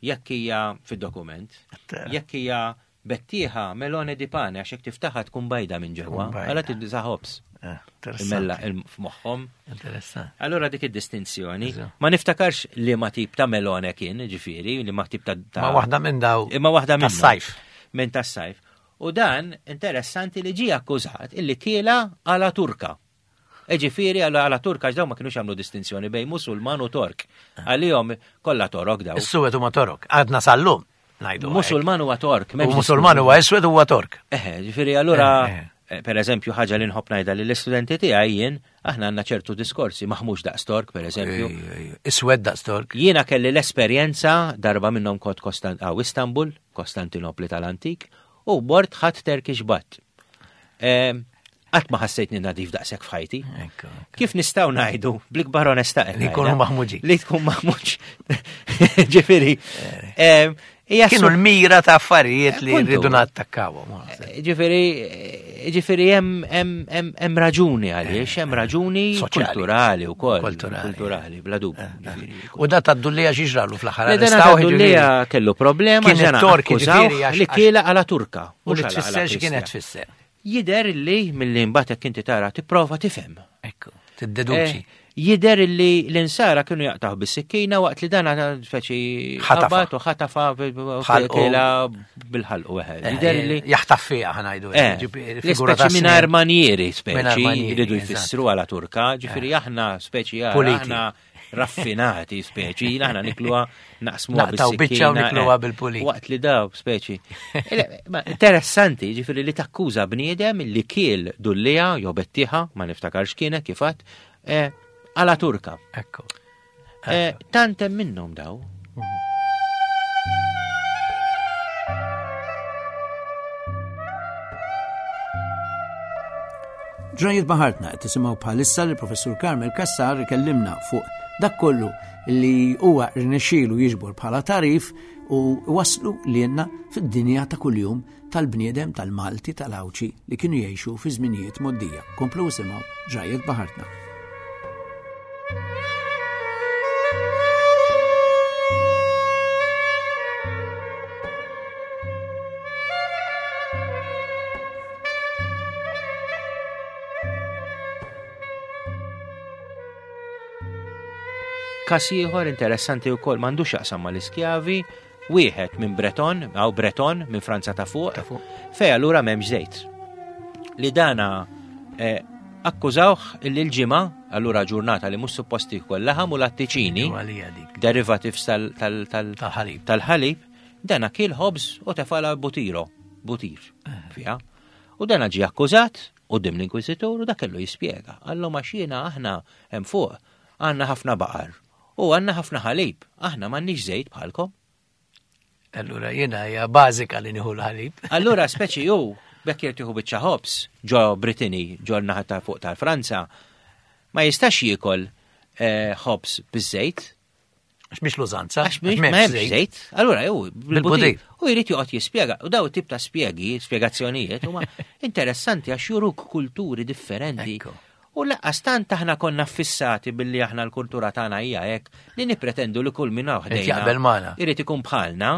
Jekk hija fid-dokument, jekk hija bettieħa melone di pane għax jekk tiftaħha tkun bajda minn ġewwa, Tkun bajda. għala tibda ħobs. Eh, Imella Interessanti. il- f'moħħhom. Interessanti. Allora dik id-distinzjoni. Eżatt. Ma niftakarx li ma tip ta' melone kien, ġifieri, li ma tip ta' ta' Ma waħda minn daw. Imma waħda minnhom. Tas-sajf. Minn tas-sajf. U dan interessanti li ġie akkużat illi kiela għala Turka. Ġifieri għala għala Turka għax daw ma kienux jagħmlu distinzjoni bejn Musulman u Tork. Għalihom kollha Torok daw. Is-suwed huma Torok. Għadna sal-lum ngħidu. hekk. Musulman huwa Tork. U m'hemmx Musulman huwa iswed huwa Tork. Eħe, ġifieri allura, Eh, eh. eh, per eżempju, ħaġa li nħobb ngħidha lill-istudenti tiegħi jien, aħna għandna ċertu diskorsi maħmux daqs Tork, per eżempju. Ej, ej, Iswed daqs Tork. Jiena kelli l-esperjenza darba minnhom kont Kostan għaw Istanbul, Kostantinopli tal-antik, u bort ħadd Turkish bath. Qatt ma ħassejtni nadif daqshekk f'ħajti. Ekku, ekku. Kif nistgħu ngħidu bl-ikbar onestà qed Li jkunu ngħidha, maħmuġin. Li tkun maħmuġ. Ġifieri. em, hija Kienu su- l-mira ta' affarijiet li Appuntu. rridu nattakkawhom. Ġifieri, ġifieri hemm hemm hemm hemm raġuni għaliex, hemm raġuni Soċjali. kulturali wkoll. Kulturali. Kulturali, bla dubju. ġifieri. U da tad-dullija xiġralu fl-aħħar Le dana arrestawh, tad-dullija ġifieri. kellu problema Kien ġana it-Tork, akkużawh ġifieri, għax- li kiela għala Turka. U li mhux għala- tfisser għala x'kienet Kristjan. tfisser. Jider li mill-li mbagħad jekk inti tara tipprova tifhem. Ekku, tiddeduċi. Eh, Jider li l-insara kienu jaqtaħ bis-sikkina waqt li dana speċi Ħatafa. ħabat u ħatafa Ħalqu. kiela bil-ħalqu. eħe. Eh, Jider li Jaħtaf fiha ħanajdu. Eh, ġifieri, li figura ta' speċi mingħajr snin. manieri Mingħajr speċi manieri, jridu eżatt. jfissru għala Turka, ġifieri aħna speċi ara, Puliti. aħna raffinati speċi, aħna nikluha naqsmuha Naqtaw biċċa u bis-sikkina, nikluha eh, bil-pulit. Waqt li daw speċi. Ele, ma Interessanti, ġifieri li takkuża bniedem li kiel dullija jew bettieħa, ma niftakarx kienet kif għadt, eh, għala Turka. Ekku. Eh, Tant hemm minnhom daw. Ġrajiet baħartna qed tisimgħu bħalissa li professur Carmel Cassar ikellimna fuq dak kollu li huwa rnexxielu jiġbor bħala tarif u waslu lilna fid-dinja ta' kuljum tal-bniedem tal-Malti tal-Għawdxi li kienu jgħixu fi żminijiet moddija. Komplu isimgħu Ġrajiet baħartna. Kas ieħor interessanti wkoll m'għandux jaqsam mal-iskjavi, wieħed minn Breton, aw Breton minn Franza ta' fuq, Ta' fuq. fej allura m'hemmx żejt. Li dana eh, akkużawh illi l-ġimgħa, allura ġurnata li mhux suppost jkoll laħam u lattiċini, Għalija dik. derivatives tal- tal- tal- Tal-ħalib. tal-ħalib, dana kien ħobż u tefala butiro, butir fiha. U dana ġie akkużat quddiem l-Inkwiżitur u dak kellu jispjega. Għallu ma xina aħna hemm fuq għandna ħafna baqar u għandna ħafna ħalib, aħna m'għandniex żejt bħalkom. Allura jiena hija bażika li nieħu l-ħalib. Allura speċi ju bekk jrid jieħu biċċa ħobż ġo Brittany, ġo l-naħa ta' fuq tal-Franza, ma jistax jiekol eh, ħobż biż-żejt, Għax mhix l-użanza. Għax mhix ma hemmx żejt. Allura ju Bil-butir. bil-butir. U jrid joqgħod jispjega. U daw tip ta' spjegi, spjegazzjonijiet huma interessanti għax juruk kulturi differenti. Ekku. U laqqas tant aħna konna fissati billi aħna l-kultura tagħna hija hekk li nippretendu li kull min hawn Irid ħdejna jaqbel magħna. Irid ikun bħalna.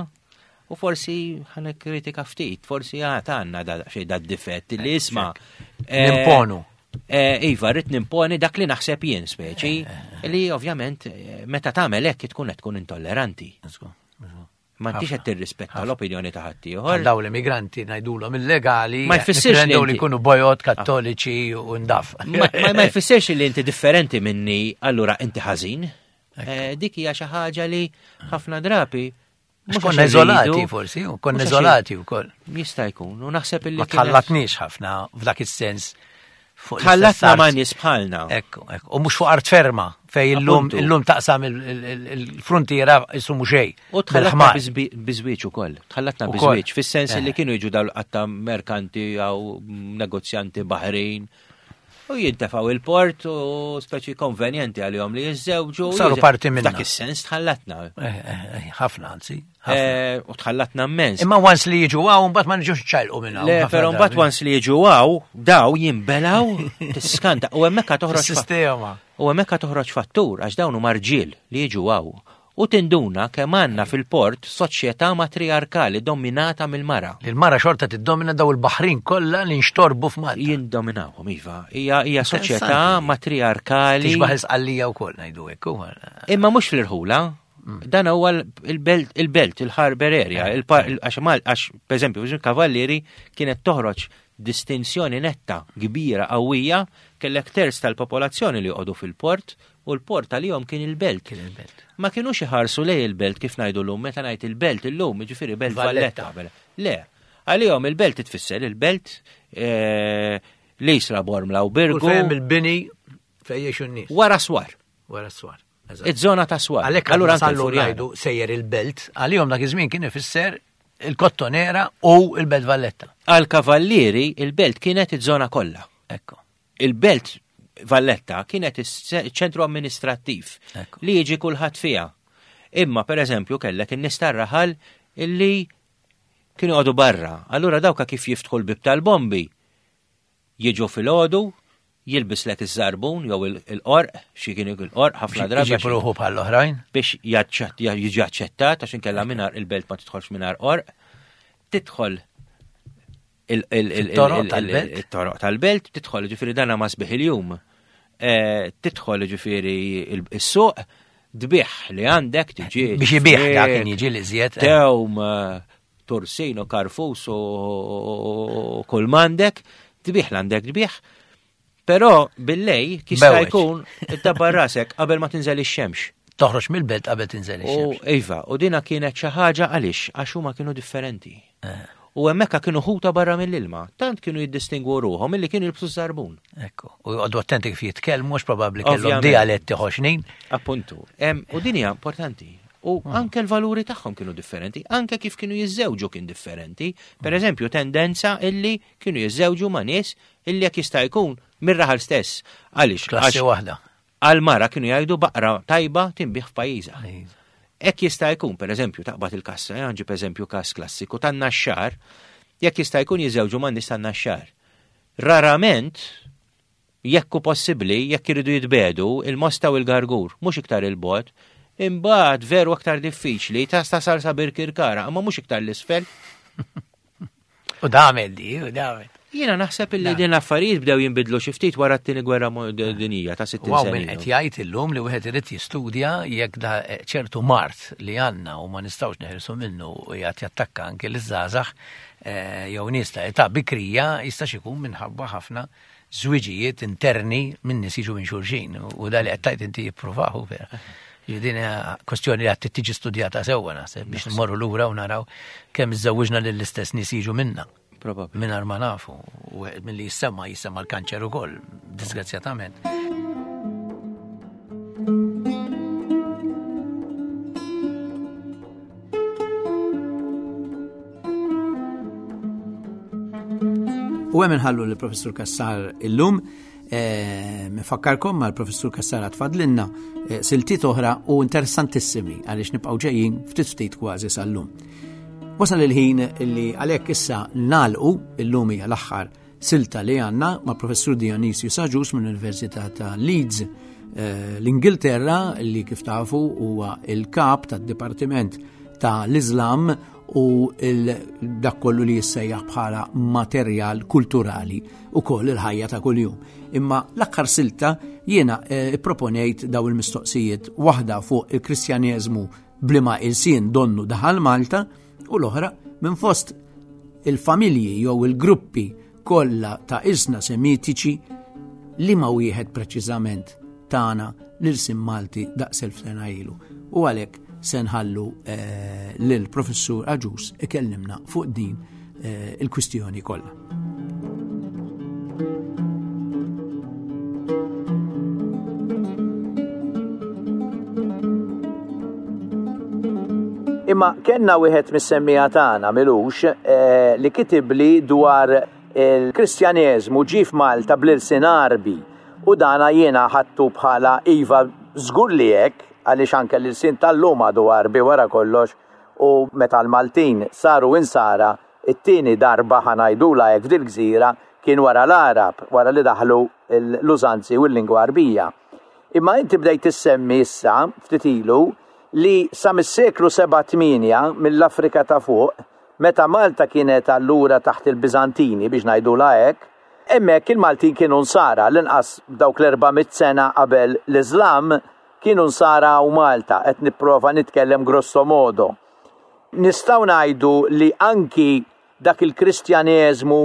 U forsi ħana kritika ftit, forsi għad għandna da xejn da difett li isma' eh, Nimponu. Eh, Iva, rrid nimponi dak li naħseb jien speċi, li ovvjament eh, meta tagħmel hekk tkun qed tkun intolleranti. Ma intix qed tirrispetta l-opinjoni ta' ħaddieħor. Għal daw l-immigranti ngħidulhom illegali. Ma jfissirx li nippretendew li inti- jkunu bojod kattoliċi u ndaf. Ma ma- ma jfissirx li inti differenti minni, allura inti ħażin. Eh, Dik hija xi ħaġa li ħafna drabi Mhux mhux konna għax iżolati irridu, forsi, u konna mhux għax iżolati wkoll. Jista' jkun, u naħseb illi Ma kienet- tħallatniex ħafna f'dak is-sens. fuq l-istess Tħallatna art. ma' nies bħalna. Ekku, ekku. U mhux fuq art ferma fej illum Appuntu. illum taqsam il- il- il- il-frontiera isumu xejn. U tħallatna bil-ħmar. bizbi- bizwieġ ukoll. Tħallatna Ukoll. bizwieġ, fis-sens Eh. li kienu jiġu dawn qatta merkanti jew negozjanti baħrin. U jintefaw il-port u speċi konvenjenti għalihom li jiżżewġu. Saru parti minna. Dak is-sens tħallatna. Eh, eh, eh, Ħafna anzi. ħafna. Eh, U tħallatna immens. Imma once li jiġu għaw, mbagħad ma niġux ċajlqu minn hawn. Le, ħafna però drabi. mbagħad once li jiġu għaw, daw jinbelaw, tiskanta. U hemmhekk toħroġ fa- Fis-sistema. U hemmhekk toħroġ fattur għax dawn huma rġiel li jiġu għaw. U tinduna kemm għandna fil-port soċjetà matriarkali dominata mill-mara. Li l-mara xorta tiddomina daw il-baħrin kollha li nxtorbu f'Malta. Jindominawhom iva. Hija hija soċjetà Interessanti. matriarkali. Tixbaħ l-isqallija wkoll ngħidu hekk. u- Imma mhux fl-irħula. Dan huwa il-belt, il-belt, il-harbor area, għax għax per eżempju, Kavallieri kienet toħroġ distinzjoni netta kbira qawwija, kellek terz tal-popolazzjoni li joqogħdu fil-port u l-port għalihom kien il-belt. Kien il-belt. Ma kienux iħarsu lej il-belt kif ngħidu llum, meta ngħid il-belt illum, jiġifieri belt Valletta. Le, għalihom il-belt tfisser il-belt eh, l-Isla, Bormla u Birgu. U fejn il-bini fejn jgħixu n-nies. Wara swar. Wara swar. Iż-żona ta' swar. Għalhekk Allura allura anke sallu l-Furjana. ngħidu sejjer il-belt, għalihom dak iż-żmien kien ifisser il-Kottonera u il-Belt Valletta. Għal Kavallieri il-belt kienet iż-żona kollha. Ekku. Il-belt Valletta kienet iċ-ċentru amministrattiv Ekku. li jiġi kulħadd fiha. Imma per eżempju kellek in-nies tar-raħal illi kienu għadu barra. Allura dawka kif jiftħu l-bib tal-bombi? Jiġu fil-għodu, jilbislek iż-żarbun jew il-qorq, xi kien il-qorq ħafna drabi. Iġib ruħu bħall-oħrajn. Biex jiġi aċċettat għax inkella mingħajr il-belt ma tidħolx mingħajr qorq. Tidħol Il-toroq tal-belt. Il-toroq tal-belt, tidħol ġifieri dana ma sbieħ il-jum. Tidħol ġifieri is-suq, tbigħ li għandek tiġi. Biex ibigħ dak kien jiġi li żjed. Tewm, tursin u karfus u kull m'għandek, tbigħ l-għandek tbigħ. Però billejl jista' jkun iddabbar rasek qabel ma tinżel ix-xemx. Toħroġ mill-belt qabel tinżel ix-xemx. U iva, u dina kienet xi ħaġa għaliex għax huma kienu differenti. U hemmhekk kienu ħuta barra mill-ilma, tant kienu jiddistingwu ruħhom milli kienu jilbsu żarbun. Ekku, u joqogħdu attenti kif jitkellmu għax probabbli kellhom dialetti ħoxnin. Appuntu. U din hija importanti. U anke l-valuri tagħhom kienu differenti, anke kif kienu jiżżewġu kien differenti. Per eżempju, tendenza illi kienu jiżżewġu ma' nies illi jekk jista' jkun mir-raħal stess. Għaliex? Klassi waħda. Għal-mara kienu jgħidu baqra tajba tinbih f'pajjiżha. Hekk jista' jkun, per eżempju, taqbad il-kassa, ġib eżempju każ klassiku tan-Naxxar, jekk jista' jkun jiżżewġu ma' nies tan-Naxxar. Rarament, jekk hu possibbli, jekk iridu jitbedu, il-Mosta u l-Gargur, mhux iktar il-bot, imbagħad veru aktar diffiċli ta' tasal sa Birkirkara, imma mhux iktar l-isfel. U damel di, u damel. Jiena naħseb illi din l-affarijiet bdew jinbidlu xi ftit wara t-tieni gwerra dinjija ta' sittin sena. Min qed jgħid illum li wieħed irid jistudja jekk da ċertu mart li għandna u ma nistgħux neħirsu minnu u jgħid jattakka anke liż-żgħażagħ jew nies ta' età bikrija jistax ikun minħabba ħafna żwiġijiet interni minn nies jiġu minn xulxin u da li qed tgħid inti jippruvahu vera. Din kwestjoni li qed tiġi studjata sewwa naħseb biex nmorru lura u naraw kemm iżżewwiġna lill-istess nies jiġu minna. Probabbli. Mingħajr ma nafu, u milli jissemma jissemma l-kanċer ukoll, disgrazzjatament. U hemm inħallu lill-Professur Cassar illum. Nfakkarkom mal-Professur Cassar tfadlinna siltiet oħra u interessantissimi għaliex nibqgħu ġejjin ftit ftit kważi sal-lum. Wasal il-ħin li għalhekk issa nagħlqu illum hija l-aħħar silta li għandna ma' Professur Dionysius Agius mill-Università ta' Leeds l-Ingilterra, li kif tafu huwa il-kap tad-Dipartiment ta' l-Islam u dak kollu li jissejjaħ bħala materjal kulturali u koll il-ħajja ta' kuljum. Imma l-aħħar silta jiena proponejt daw il-mistoqsijiet, waħda fuq il-Kristjaneżmu bliema ilsien donnu daħal Malta u l-oħra minn fost il-familji jew il-gruppi kollha ta' ilsna semitiċi li ma wieħed preċiżament tagħna l-ilsien Malti daqs elf sena ilu. U għalhekk se nħallu lill-Professur Agius ikellimna fuq din il-kwistjoni kollha. Imma kellna wieħed mis-semmija tagħna milux li kitibli dwar il-Kristjaneżmu ġie f'Malta bl-ilsien Għarbi u dana jiena ħadtu bħala iva żgur li hekk, għaliex anke l-ilsien tal-lum għadu Għarbi wara kollox, u meta l-Maltin saru insara it-tieni darba ħanajdula hekk f'dil-gżira kien wara l-Għarab, wara li daħlu l-użanzi u l-lingwa Għarbija. Imma inti bdejt tissemmi issa ftit ilu li sa mis-seklu seba' tmienja mill-Afrika ta' fuq, meta Malta kienet allura taħt il-Biżantini biex ngħidula hekk, hemmhekk il-Maltin kienu nsara l-inqas dawk l-erba' mitt sena qabel l-Iżlam kienu nsara u Malta, qed nipprova nitkellem grosso modo. Nistgħu ngħidu li anki dak il-Kristjaneżmu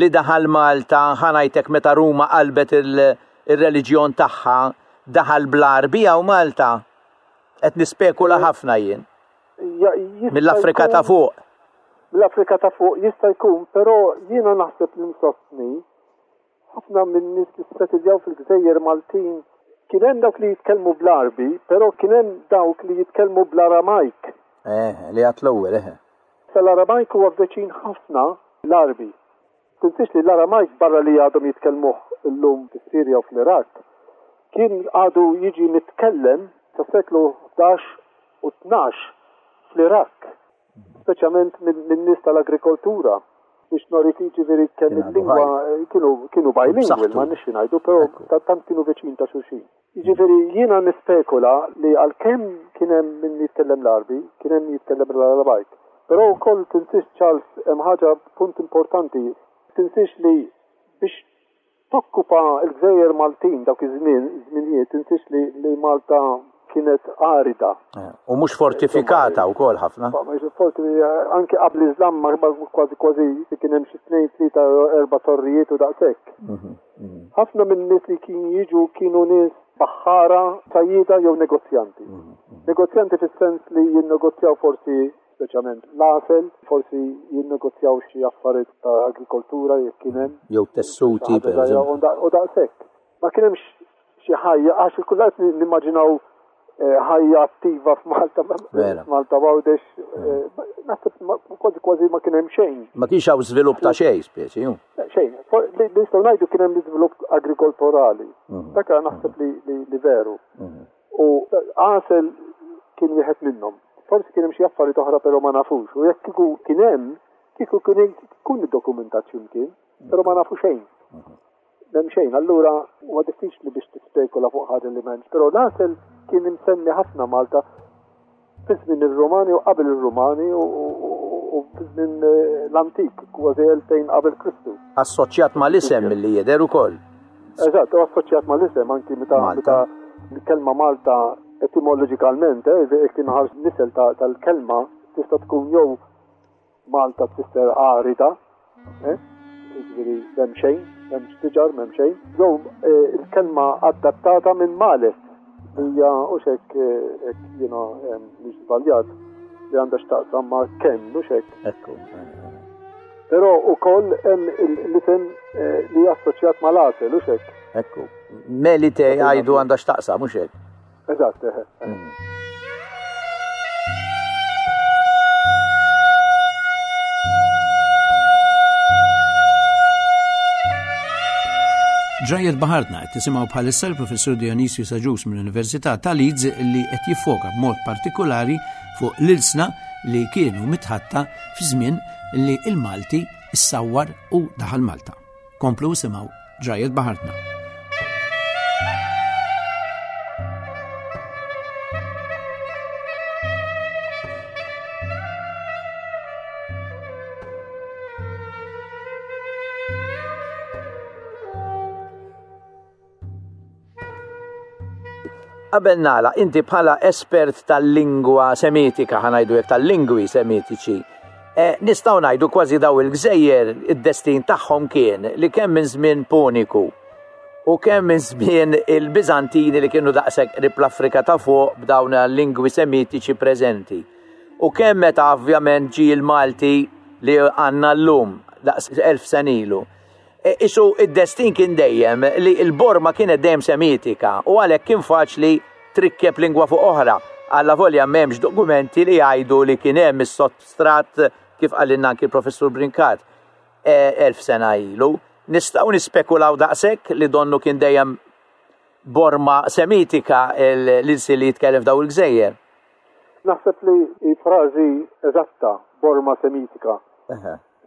li daħal Malta, ħa ngħidlek meta Ruma qalbet il-reliġjon tagħha, daħal bl-Għarbi u Malta. Qed nispekula ħafna jien. Mill-Afrika ta' fuq. Mill-Afrika ta' fuq jista' jkun, però jiena naħseb li nsostni ħafna minn nies li ssettiljaw fil-Gżejjer Maltin kien hemm dawk li jitkellmu bl-Għarbi, però kien hemm dawk li jitkellmu bl-Aramajk. Eh, li għat l-ewwel, eh. L-Aramajk huwa veċin ħafna l-Għarbi. Tinsiex li l-Aramajk barra li għadhom jitkellmuh illum fis-Sirja u fl-Iraq, kien għadu jiġi mitkellem sa seklu ħdax u tnax fl-Iraq, speċjalment minn nies tal-agrikoltura. Biex norik jiġifieri kemm il-lingwa kienu kienu bilingual, ma nix ngħidu, però tant kienu veċin ta' xulxin. Jiġifieri jiena nispekula li għalkemm kien hemm min jitkellem l-Għarbi, kien hemm jitkellem l-Aramajk. Però wkoll tinsiex Charles hemm ħaġa punt importanti, tinsiex li biex tokkupa l-Gżejjer Maltin dawk iż-żmien, żminijiet, tinsiex li, li Malta kienet arida. U mhux fortifikata wkoll ħafna. Anke qabel l-Islam kważi kważi kien hemm xi tnejn, tlieta, erba' torrijiet u daqshekk. Ħafna minn nies li kienu jiġu kienu nies baħħara, sajjieda jew negozjanti. Negozjanti fis-sens li jinnegozjaw forsi speċjalment l-għasel, forsi jinnegozjaw xi affarijiet ta' agrikoltura jekk kien hemm. Jew tessuti, per eżempju. U daqshekk. Ma kien hemmx xi ħajja, għax kulħadd nimmaġinaw ħajja attiva f'Malta, Malta Għawdex, naħseb kważi kważi ma kien hemm xejn. Ma kienx hawn żvilupp ta' xejn, speċi, ju. Xejn. Li nistgħu ngħidu kien hemm l-iżvilupp agrikolturali. Dak naħseb li veru. U għasel kien wieħed minnhom. Forsi kien hemm xi affarijiet oħra però ma nafux. U jekk kieku kien hemm, kieku kien ikun iddokumentat x'imkien, però ma nafu xejn. M'hemm xejn, allura huwa diffiċli biex tispekula fuq ħaġa li m'hemmx. Però l-għasel kien imsemmi ħafna Malta fi żmien ir-Rumani u qabel ir-Rumani u fi żmien l-antik, kważi elfejn qabel Kristu. Assoċjat mal-isem milli jidher ukoll. Eżatt, u assoċjat mal-isem anki meta meta l-kelma Malta etimoloġikalment, jekk inħares nisel tal-kelma tista' tkun jew Malta tfisser arida, jiġifieri m'hemm xejn, m'hemmx siġar, m'hemm xejn, jew il-kelma adattata minn Males, hija u xek jiena mhix żbaljat li għandha x'taqsam ma' kemm, mhux hekk. Ekku. Però wkoll hemm l-isem li assoċjat mal-għasel, hux hekk. Ekku. Melite jgħidu għandha x'taqsam, mhux hekk. Eżatt, eħe. Ġrajiet Baħartna qed tisimgħu bħalissa l-Professur Dionysius Agius mill-Università ta' Leeds li qed jiffoka b'mod partikolari fuq l-ilsna li kienu mitħatta fi żmien li il-Malti issawwar u daħal Malta. Komplu simgħu Ġrajiet Baħartna. Qabel nagħlaq, inti bħala espert tal-lingwa semitika, ħa ngħidu hekk tal-lingwi semitiċi, nistgħu ngħidu kważi daw il-gżejjer id-destin tagħhom kien li kemm minn żmien Puniku u kemm minn żmien il-Biżantini li kienu daqshekk qrib l-Afrika ta' fuq b'dawn il-lingwi semitiċi preżenti. U kemm meta ovvjament ġie l-Malti li għandna llum daqs elf sena ilu. Isu id-destin kien dejjem li l-borma kienet dejjem semitika u għalhekk kien faċli trikkeb lingwa fuq oħra. Alla volja m'hemmx dokumenti li jgħidu li kien hemm is-sottstrat kif qalilna anki l-Professur Brincat elf sena ilu. Nistgħu nispekulaw daqshekk li donnu kien dejjem borma semitika l-ilsi li jitkellem f'daw il-gżejjer. Naħseb li frażi eżatta borma semitika.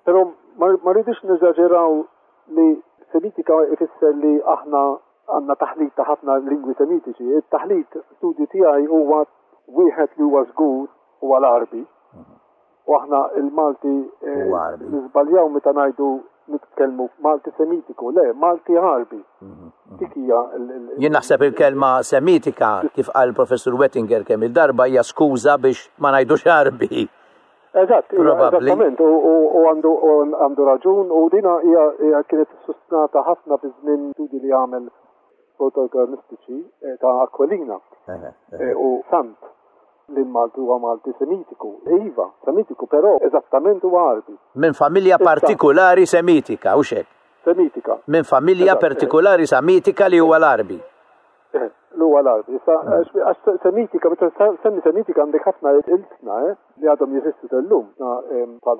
Però ma rridux neżaġeraw li semitika ifisser li aħna għandna taħlit ta' ħafna lingwi semitiċi. Il-taħlit studju tiegħi huwa wieħed li huwa żgur huwa l-Għarbi. U aħna il-Malti niżbaljaw meta ngħidu nitkellmu Malti semitiku, le, Malti Għarbi. Dik hija Jien naħseb il-kelma Semitika, kif qal professur Wettinger kemm il-darba, hija skuża biex ma ngħidux Għarbi. Eżatt, eżattament, u għandu għandu raġun, u dina hija kienet sostnata ħafna fi żmien studi li għamel protogermanistiċi ta' Aquilina u Sant li Malti huwa Malti Semitiku. Iva, Semitiku, però eżattament huwa Għarbi. Minn familja partikolari Semitika, u xek? Semitika. Minn familja partikolari Semitika li huwa l-Għarbi. Li huwa l-Għarbi. Għax Semitika, meta semmi Semitika għandek ħafna ilsna li għadhom jeżistu tal-lum. Bħal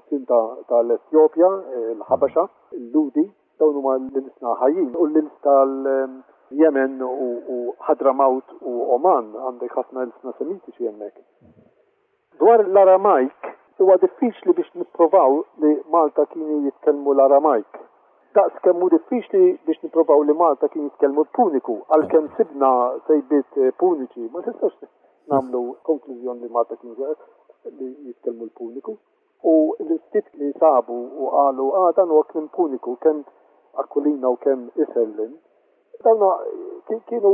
tal-Etjopja, il-Ħabaxa, il-Ludi, dawn huma l-ilsna ħajjin. U l-ils tal-Yemen u Ħadramawt u Oman għandek ħafna ilsna Semitiċi hemmhekk. Dwar l-Aramajk, huwa diffiċli biex nipprovaw li Malta kienu jitkellmu l-Aramajk. Daqs kemm hu diffiċli biex nipprovaw li Malta kien jitkellmu l-Puniku, għalkemm sibna sejbiet Puniċi, ma nistgħux nagħmlu konklużjoni li Malta kien li jitkellmu l-Puniku. U l-ftit li sabu u qalu, ah, dan huwa kliem Puniku, kemm Aquilina u kemm Isserlin, dawna kienu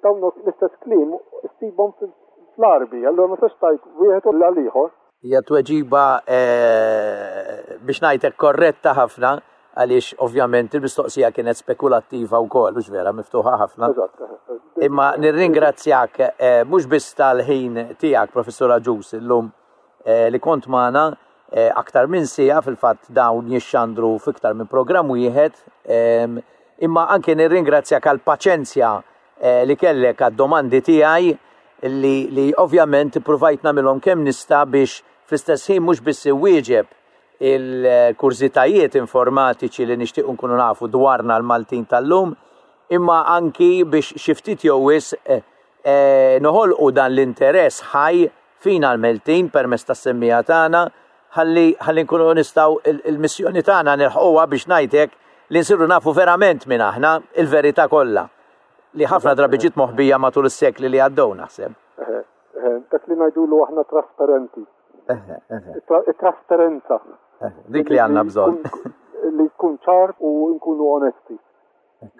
dawna l-istess kliem issibhom fl-Għarbi, allura ma tistax tgħid wieħed u l-ieħor. Hija tweġiba biex ngħidlek korretta ħafna, għaliex ovvjament il-mistoqsija kienet spekulattiva wkoll, mhux vera, miftuħa ħafna. Imma nirringrazzjak mhux biss tal-ħin tiegħek, Professur Agius, illum li kont magħna aktar minn siegħa, fil-fatt dawn jixxandru f'iktar minn programm wieħed, imma anke nirringrazzjak għall-paċenzja li kellek għad-domandi tiegħi li, li ovvjament ippruvajt nagħmilhom kemm nista' biex fl-istess ħin mhux biss iwieġeb il-kurżitajiet informatiċi li nixtiequ nkunu nafu dwarna l-Maltin tal-lum, imma anki biex xi ftit jew wisq noħolqu dan l-interess ħaj fina l-Maltin permezz tas-semmija tagħna, ħalli ħalli nkunu nistgħu il-missjoni tagħna nilħquha biex ngħidlek li nsiru nafu verament minn aħna il-verità kollha li ħafna drabi ġiet moħbija matul is-sekli li għaddew naħseb. Dak li ngħidulu aħna trasparenti. It-trasparenza. Dik li għandna bżonn. Li tkun ċar u nkunu onesti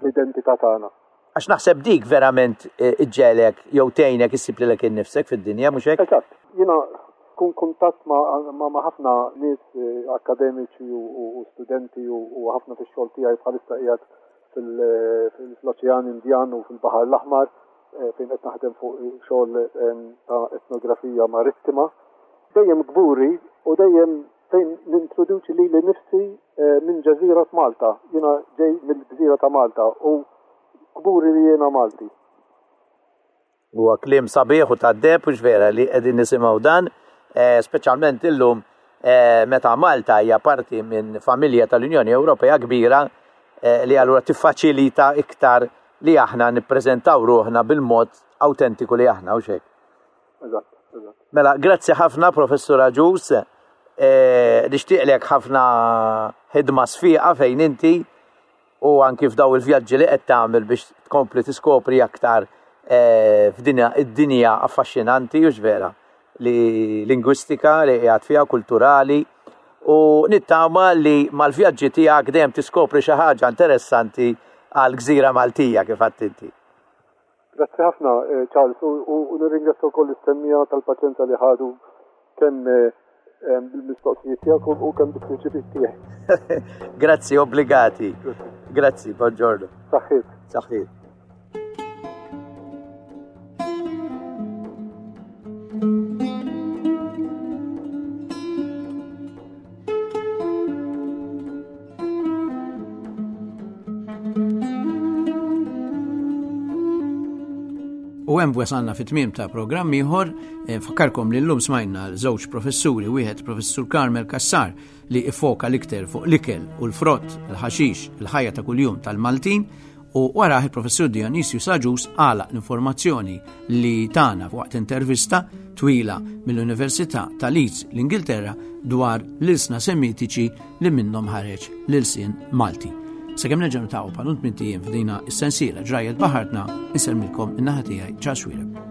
l-identità tagħna. Għax naħseb dik verament iġġelek jew tgħinek issib lilek innifsek fid-dinja, mhux hekk? Eżatt. Jiena kun kuntatt ma' ħafna nies akademiċi u studenti u ħafna fix-xogħol tiegħi bħalissa qiegħed fil-Oċean Indjan u fil-Baħar l-Aħmar fejn qed naħdem fuq xogħol ta' etnografija marittima. Dejjem kburi u dejjem fejn nintroduċi lili nifsi minn ġeżira Malta. Jiena ġej mill-gżira ta' Malta u kburi li jiena Malti. Huwa kliem sabiħ u tad-deheb, hux vera li qegħdin nisimgħu dan, speċjalment illum meta Malta hija parti minn familja tal-Unjoni Ewropea kbira li allura tiffaċilita iktar li aħna nippreżentaw ruħna bil-mod autentiku li aħna, hux hekk? Eżatt, eżatt. Mela, grazzi ħafna Professur Agius, nixtieqlek ħafna ħidma sfiqa fejn inti u anki f'daw il-vjaġġi li qed tagħmel biex tkompli tiskopri aktar f'din id-dinja affaxxinanti, hux vera, li lingwistika li qiegħed fiha, kulturali, u nittama li mal-vjaġġi tiegħek dejjem tiskopri xi ħaġa interessanti għal gżira Maltija kif għedt inti. Grazzi ħafna, Charles, u nirringrazzja wkoll is-semmija tal-paċenza li ħadu kemm bil-mistoqsijiet tiegħek u kemm bil-prinċipijiet tiegħek. Grazzi, obbligati. Grazzi, buongiorno. Saħħit. Saħħit. U hemm wasalna fit-tmiem ta' programm ieħor. Nfakkarkom li llum smajna żewġ professuri, wieħed professur Carmel Cassar li ifoka l-iktar fuq l-ikel u l-frott, il-ħaxix, il-ħajja ta' kuljum tal-Maltin, u warah il-professur Dionysius Agius għalaq l-informazzjoni li tana waqt intervista twila mill-Università ta' Leeds l-Ingilterra dwar l-ilsna Semitiċi li minnhom ħareġ l-ilsien Malti. Sakemm nerġgħu niltaqgħu bħal tmint ijiem f'dina is-sensiela ġrajjet baħartna, insellmilkom in-naħa tiegħi Charles Xuereb.